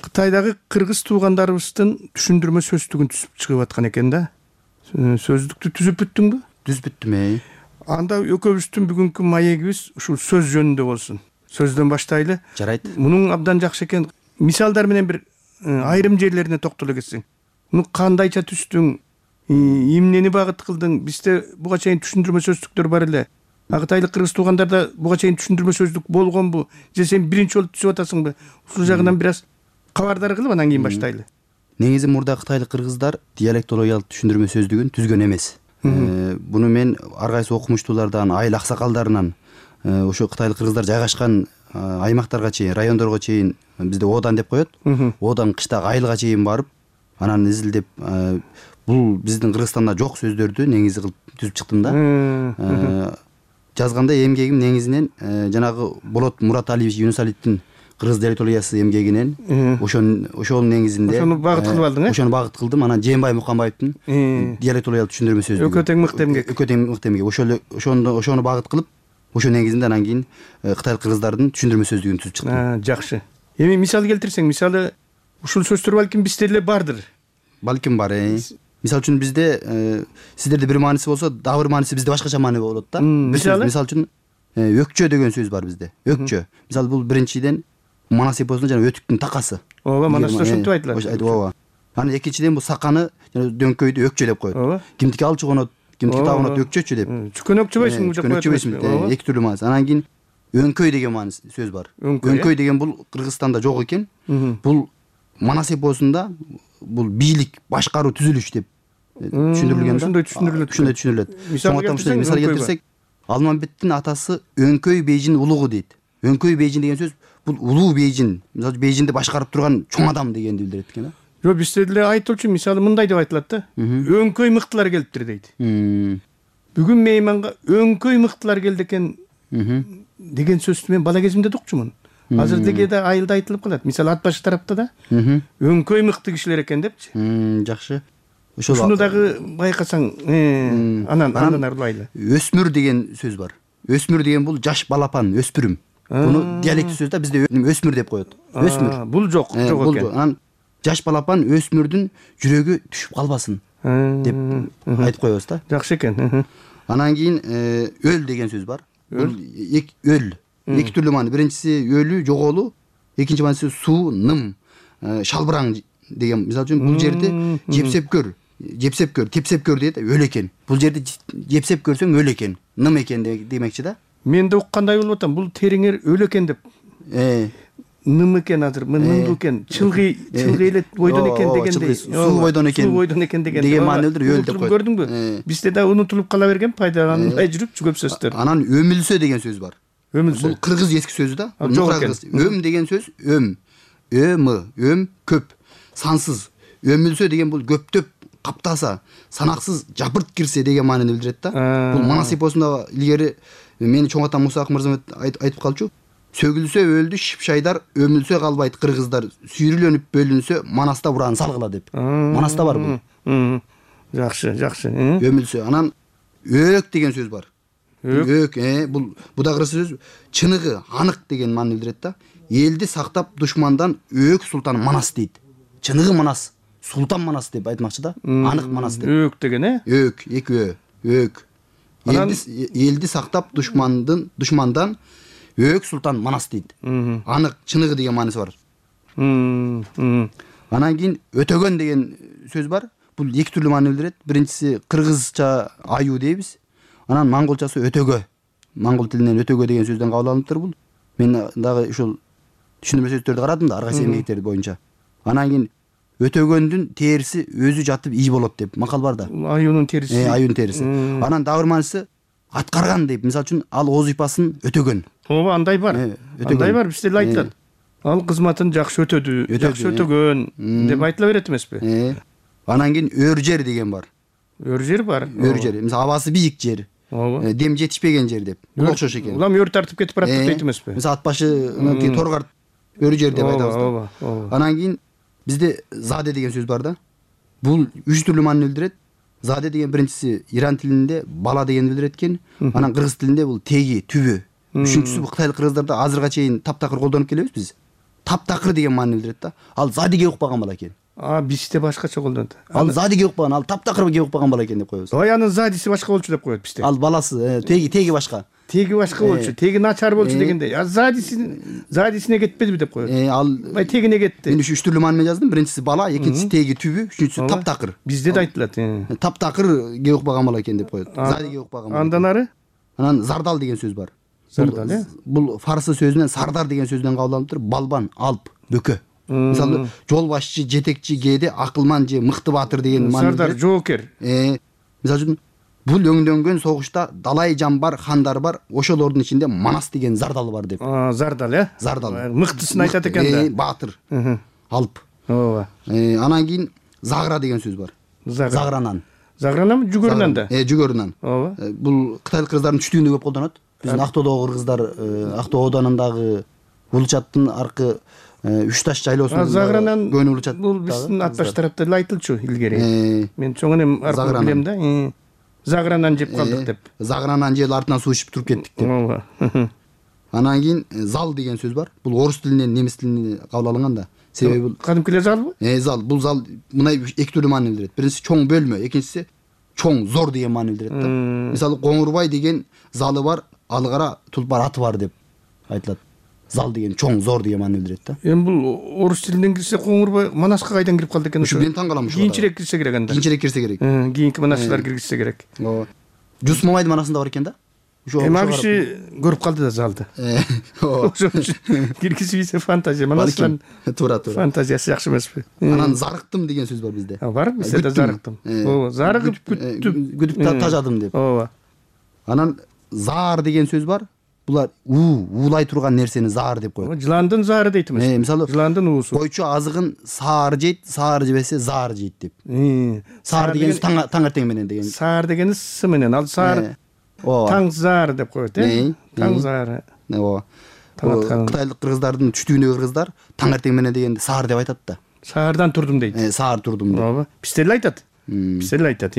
Кытайдагы кыргыз туугандарыбыздын түшүндүрмө сөздүгүн түзүп чыгып аткан экен да. Сөздүктү түзүп бүттүңбү? Түзүп бүттүм. Анда экөөбүздүн бүгүнкү маегибиз ушул сөз жөнүндө болсун. Сөздөн баштайлы. Жарайт. Мунун абдан жакшы экен. Мисалдар менен бир айрым жерлерине токтоло кетсең. Муну кандайча түздүң? Эмнени багыт кылдың? Бизде буга чейин түшүндүрмө сөздүктөр бар эле. Кытайлык кыргыз туугандарда буга чейин түшүндүрмө сөздүк болгонбу? Же сен биринчи жолу түзүп атасыңбы? Ушул жагынан бир аз кабардар кылып анан кийин баштайлы. Негизи мурда кытайлык кыргыздар диалектологиялык түшүндүрмө сөздүгүн түзгөн эмес. Буну мен ар кайсы окумуштуулардан, айыл аксакалдарынан ошо кытайлык кыргыздар жайгашкан аймактарга чейин, райондорго чейин бизде одан деп коет. Одан кыштагы айылга чейин барып анан изилдеп бул биздин Кыргызстанда жок сөздөрдү негизи кылып түзүп чыктым да. Жазганда эмгегим негизинен жанагы Болот Мураталиевич Юнусалиевдин кыргыз диалектологиясы эмгегинен ошонун негизинде ошону багыт кылып алдың ошону багыт кылдым. Анан Жээнбай Муканбаевдин диалектологиялык түшүндүрмө сөздүгү экөө тең мыкты эмгек. Экөө тең мыкты эмгек. Ошону багыт кылып ошо негизинде анан кийин кытайлык кыргыздардын түшүндүрмө сөздүгүн түзүп чыктым. Жакшы. Эми мисал келтирсең, мисалы ушул сөздөр балким бизде эле бардыр. Балким бар. Мисалы үчүн бизде сиздерде бир мааниси болсо, дагы бир мааниси бизде башкача маани болот да. Мисалы үчүн өкчө деген сөз бар бизде. Өкчө. Мисалы бул биринчиден манас эпосунда жана өтүктүн такасы. Ооба, манаста ошентип айтылат. Ооба. Анан экинчиден бул саканы жана дөңкөйдү өкчө деп коет. Кимдики алчу конот, кимдики тагынот өкчөчү деп. Чүкөнөкчүбөйсүң деп коет. Чүкөнөкчүбөйсүң. Эки түрлүү мааниси. Анан кийин өңкөй деген мааниси сөз бар. Өңкөй деген бул Кыргызстанда жок экен. Бул манас эпосунда бул бийлик, башкаруу, түзүлүш деп түшүндүрүлгөн да. Ошондой түшүндүрүлөт. Мисал келтирсек, Алмамбеттин атасы Өңкөй Бейжин улугу дейт. Өңкөй Бейжин деген сөз бул улуу Бейжин. Мисалы Бейжинди башкарып турган чоң адам дегенди билдирет экен да. Жок, бизде деле айтылчу мисалы мындай деп айтылат да. Өңкөй мыктылар келиптир дейт. Бүгүн мейманга өңкөй мыктылар келди экен деген сөздү мен бала кезимде укчумун. Азыр деге да айылда айтылып калат. Мисалы ат башы тарапта да өңкөй мыкты кишилер экен депчи. Жакшы. Ошону дагы байкасаң, анан арлайлы. Өсмүр деген сөз бар. Өсмүр деген бул жаш балапан, өспүрүм. Буну диалект сөз да, бизде өсмүр деп коет. Өсмүр. Бул жок экен. Анан жаш балапан өсмүрдүн жүрөгү түшүп калбасын деп айтып коебуз да. Жакшы экен. Анан кийин өл деген сөз бар. Бул өл. Эки түрлүү маани. Биринчиси өлүү, жоголуу, экинчи мааниси суу, ным, шалбыраң деген. Мисалы үчүн бул жерде жепсеп көр, тепсеп көр дейт, өл экен. Бул жерде жепсеп көрсөң өл экен, ным экен демекчи да. Мен да уккандай болуп атам. Бул териңер өл экен деп. Ным экен азыр, нымдуу экен, чылгый эле бойдон экен дегендей. Суу бойдон экен деген маани билдир, өл деп коет. Көрдүңбү? Бизде да унутулуп кала берген, пайдаланылбай жүрүп көп сөздөр. Анан өмүлсө деген сөз бар. Өмүлсө. Бул кыргыз эски сөзү да. Өм деген сөз өм көп, сансыз. Өмүлсө деген бул көптөп каптаса, санаксыз жапырт кирсе деген маанини билдирет да. Бул манас эпосунда илгери мени чоң атам Муса Акмырзамет айтып калчу. Сөгүлсө өлдү шипшайдар, өмүлсө калбайт кыргыздар, сүйрүлөнүп бөлүнсө манаста буран салгыла деп. Манаста бар бул. Жакшы. Өмүлсө. Анан өк деген сөз бар. Өк, бул да кыргыз сөз. Чыныгы, анык деген маанини билдирет да. Элди сактап душмандан өк султан Манас дейт. Чыныгы Манас, султан Манас деп айтмакчы да. Анык Манас деп. Өк деген Өк, эки өк. Элди сактап душмандан өк султан Манас дейт. Анык, чыныгы деген мааниси бар. Анан кийин өтөгөн деген сөз бар. Бул эки түрлүү маани билдирет. Биринчиси кыргызча аю дейбиз. Анан монголчасы өтөгө. Монгол тилинен өтөгө деген сөздөн кабыл алыныптыр бул. Мен дагы ушул түшүндүрмө сөздөрдү карадым да, ар кайсы эмгектер боюнча. Анан кийин өтөгөндүн териси өзү жатып ий болот деп макал бар да. Аюунун териси. Аюунун териси. Анан дагы бир мааниси аткарган деп. Мисалы үчүн ал оз ыйпасын өтөгөн. Ооба, андай бар. Андай бар, бизде эле айтылат. Ал кызматын жакшы өтөдү, жакшы өтөгөн деп айтыла берет эмеспи? Анан кийин өр жер деген бар. Өр жер бар. Өр жер. Мисалы абасы бийик жер. Дем жетишпеген жер деп. Бул окшош экен. Улам өр тартып кетип барат дейт эмеспи? Мисалы ат башынын торгарт өр жер деп айтабыз да. Анан кийин бизде заде деген сөз бар да. Бул үч түрлүү маани билдирет. Заде деген биринчиси иран тилинде бала деген билдирет экен. Анан кыргыз тилинде бул теги, түбү. Үчүнчүсү бул кытайлык кыргыздарда азырга чейин таптакыр колдонуп келебиз биз. Таптакыр деген маани билдирет да. Ал задиге укпаган бала экен. Бизде башкача колдонот. Ал задиге укпаган, ал таптакырга укпаган бала экен деп коебуз. Ой, анын задиси башка болчу деп коет бизде. Ал баласы, теги башка. Теги башка болчу, теги начар болчу дегендей. Задисине кетпедиби деп коет. Ал тегине кетти. Мен үч түрлүү маани менен жаздым. Биринчиси бала, экинчиси теги, түбү, үчүнчүсү таптакыр. Бизде да айтылат. Таптакырге укпаган бала экен деп коет. Задиге укпаган бала. Андан ары? Анан зардал деген сөз бар. Зардал, бул фарсы сөзүнөн сардар деген сөздөн кабыл алыныптыр. Балбан, алп, бөкө. Мисалы жол башчы, жетекчи, кээде акылман же мыкты баатыр деген маани. Сардар, жоокер. Мисалы үчүн бул өңдөнгөн согушта далай жан бар, хандар бар, ошолордун ичинде Манас деген зардал бар деп. Зардал, Зардал. Мыктысын айтат экен да. Баатыр. Алп. Ооба. Анан кийин загра деген сөз бар. Загранан. Загрананбы, жүгөрү нан да? Жүгөрү нан. Ооба. Бул кытайлык кыргыздардын түштүгүндө көп колдонот. Биздин Актоодогу кыргыздар Актоо ооданындагы Улучаттын аркы Үч таш жайлоосунда Загранан көөнү Улучат. Бул биздин атташ тарапта эле айтылчу илгери. Мен чоң энем аркы билем да. Загранан жеп калдык деп. Загранан жеп артынан суу ичип туруп кеттик деп. Ооба. Анан кийин зал деген сөз бар. Бул орус тилинен немис тилине кабыл алынган да. Себеби бул кадимки залбы? Зал. Бул зал мындай эки түрдүү маани билдирет. Биринчиси чоң бөлмө, экинчиси чоң, зор деген маани билдирет да. Мисалы Коңурбай деген залы бар, алгара тулпар аты бар деп айтылат. Зал деген чоң, зор деген маани билдирет да. Эми бул орус тилинен кирсе Коңурбай Манаска кайдан кирип калды экен? Ушу мен таң калам ушу. Кийинчерээк кирсе керек анда. Кийинчерээк кирсе керек. Кийинки манасчылар киргизсе керек. Ооба. Жус Мамайдын манасында бар экен да. Эми ал киши көрүп калды да залды. Ошон үчүн киргизбейсе фантазия. Манастан туура. Фантазиясы жакшы эмеспи? Анан зарыктым деген сөз бар бизде. Бар, бизде да зарыктым. Ооба, зарыгып күтүп тажадым деп. Ооба. Анан заар деген сөз бар. Булар уулай турган нерсени заар деп коет. Жыландын заары дейт эмес. Мисалы жыландын уусу. Койчу азыгын саар жейт, саар жебесе заар жейт деп. Саар деген таңертең менен деген. Саар дегени с менен. Ал саар таң заар деп коет, таң заары. Ооба. Кытайлык кыргыздардын түштүгүндөгү кыргыздар таңертең менен дегенди саар деп айтат да. Саардан турдум дейт. Саар турдум деп. Ооба. Бизде эле айтат. Бизде эле айтат.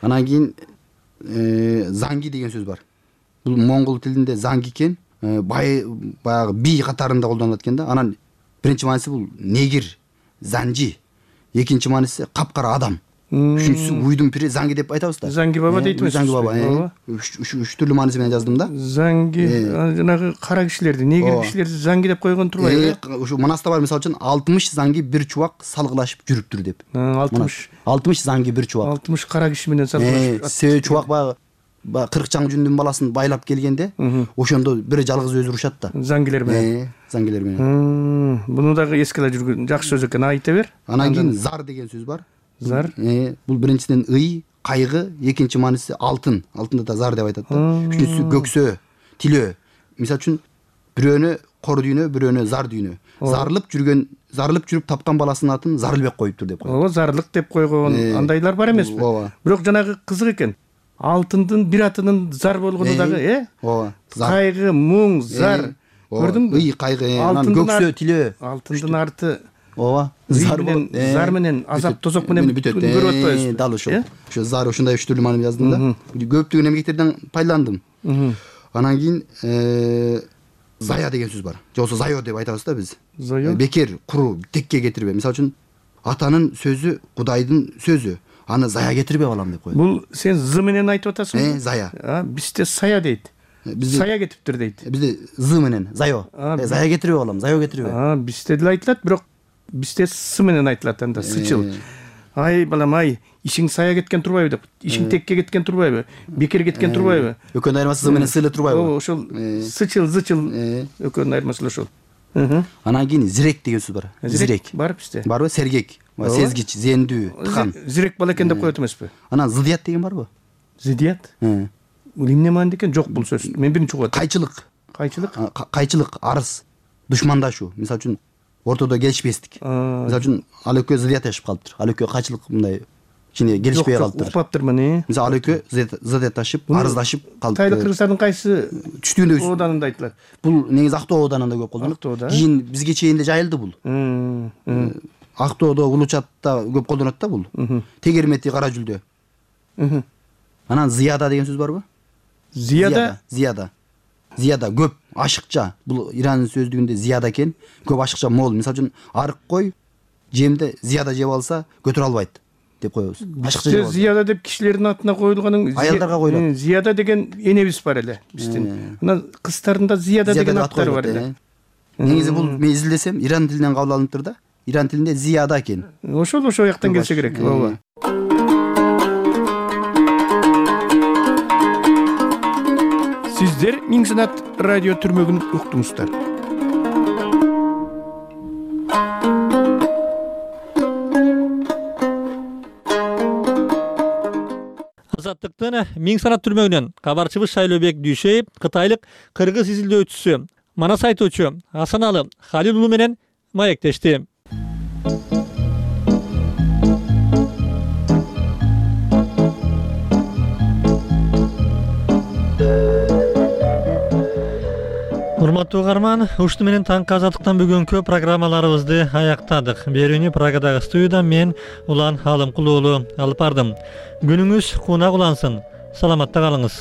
Анан кийин занги деген сөз бар. Бул моңгол тилинде занги экен, баягы би катарында колдонулат экен да. Анан биринчи мааниси бул негир, занжи. Экинчи мааниси капкара адам. Үчүнчүсү уйдун пири занги деп айтабыз да. Занги баба дейт эмес. Занги баба. Үч түрлүү мааниси менен жаздым да. Занги жанагы кара кишилерди, негир кишилерди занги деп койгон турбайбы? Ушу манаста бар, мисалы үчүн 60 занги бир чубак салгылашып жүрүптүр деп. 60 занги бир чубак. 60 кара киши менен салгылашып. Себеби чубак баягы 40 чаң жүндүн баласын байлап келгенде, ошондо бир жалгыз өзү урушат да. Зангилер менен. Зангилер менен. Буну дагы эске ала жүргөн жакшы сөз экен, айта бер. Анан кийин зар деген сөз бар. Зар. Бул биринчиден ый, кайгы, экинчи мааниси алтын. Алтынды да зар деп айтат да. Үчүнчүсү көксөө, тилөө. Мисалы үчүн бирөөнү кор дүйнө, бирөөнү зар дүйнө. Зарылып жүрүп тапкан баласынын атын Зарылбек коюптур деп коет. Ооба, зарлык деп койгон андайлар бар эмеспи? Бирок жанагы кызык экен. Алтындын бир атынын зар болгону дагы, Ооба. Кайгы, muң, зар. Көрдүңбү? Ый, кайгы, анан көксөө, тилөө. Алтындын арты. Ооба. Зар менен, азап тозок менен бүтөт. Көрүп атпайбызбы? Дал ошол. Ошо зар ушундай үч түрлүү маани жаздым да. Көптөгөн эмгектерден пайдаландым. Анан кийин зая деген сөз бар. Же болбосо зайо деп айтабыз да биз. Зайо. Бекер, куру, текке кетирбе. Мисалы үчүн атанын сөзү Кудайдын сөзү. Аны зая кетирбе балам деп коет. Бул сен з менен айтып атасыңбы? Зая. Бизде сая дейт. Сая кетиптир дейт. Бизде з менен зайо. Зая кетирбе балам, зайо кетирбе. Бизде деле айтылат, бирок бизде с менен айтылат анда, сычыл. Ай балам, ай, ишиң сая кеткен турбайбы деп. Ишиң текке кеткен турбайбы? Бекер кеткен турбайбы? Экөөнүн айырмасы з менен с эле турбайбы? Ооба, ошол сычыл, зычыл экөөнүн айырмасы ошол. Анан кийин зирек деген сөз бар. Зирек бар бизде. Барбы? Сергек, сезгич, зендүү, тыкан. Зирек бала экен деп коет эмеспи? Анан зыдыят деген барбы? Зыдыят? Бул эмне маанилүү экен? Жок бул сөз. Мен биринчи угуп атам. Кайчылык. Кайчылык? Кайчылык, арыз, душмандашуу. Мисалы үчүн ортодо келишпестик. Мисалы үчүн ал экөө зыдыяташып калыптыр. Ал экөө кайчылык мындай кичине келишпей калыптыр. Укпаптырмын. Мисалы ал экөө зыдыяташып, арыздашып калыптыр. Кытайлык кыргыздардын кайсы түштүгүндө ооданында айтылат? Бул негизи Актоо ооданында көп колдонулат. Кийин бизге чейин эле жайылды бул. Актоодо, Улучатта көп колдонот да бул. Тегермети, кара жүлдө. Анан зыяда деген сөз барбы? Зияда көп, ашыкча. Бул Иран сөздүгүндө зияда экен. Көп, ашыкча, мол. Мисалы үчүн арык кой жемде зияда жеп алса көтөрө албайт деп коебуз. Ашыкча жеп алса. Зияда деп кишилердин атына коюлганын аялдарга коюлат. Зияда деген энебиз бар эле биздин. Анан кыздардын да зияда деген аттары бар эле. Негизи бул мен изилдесем Иран тилинен кабыл алыныптыр да. Иран тилинде зияда экен. Ошол жактан келсе керек. Ооба. Сиздер Миң Санат радио түрмөгүн уктуңуздар. Азаттыктын Миң Санат түрмөгүнөн кабарчыбыз Шайлообек Дүйшеев кытайлык кыргыз изилдөөчүсү, манас айтуучу Асаналы Халил уулу менен маектешти. урматтуу угарман, ушуну менен таңкы азаттыктан бүгүнкү программаларыбызды аяктадык. Берүүнү Прагадагы студиядан мен Улан Алымкул уулу алып бардым. Күнүңүз кунак улансын. Саламатта калыңыз.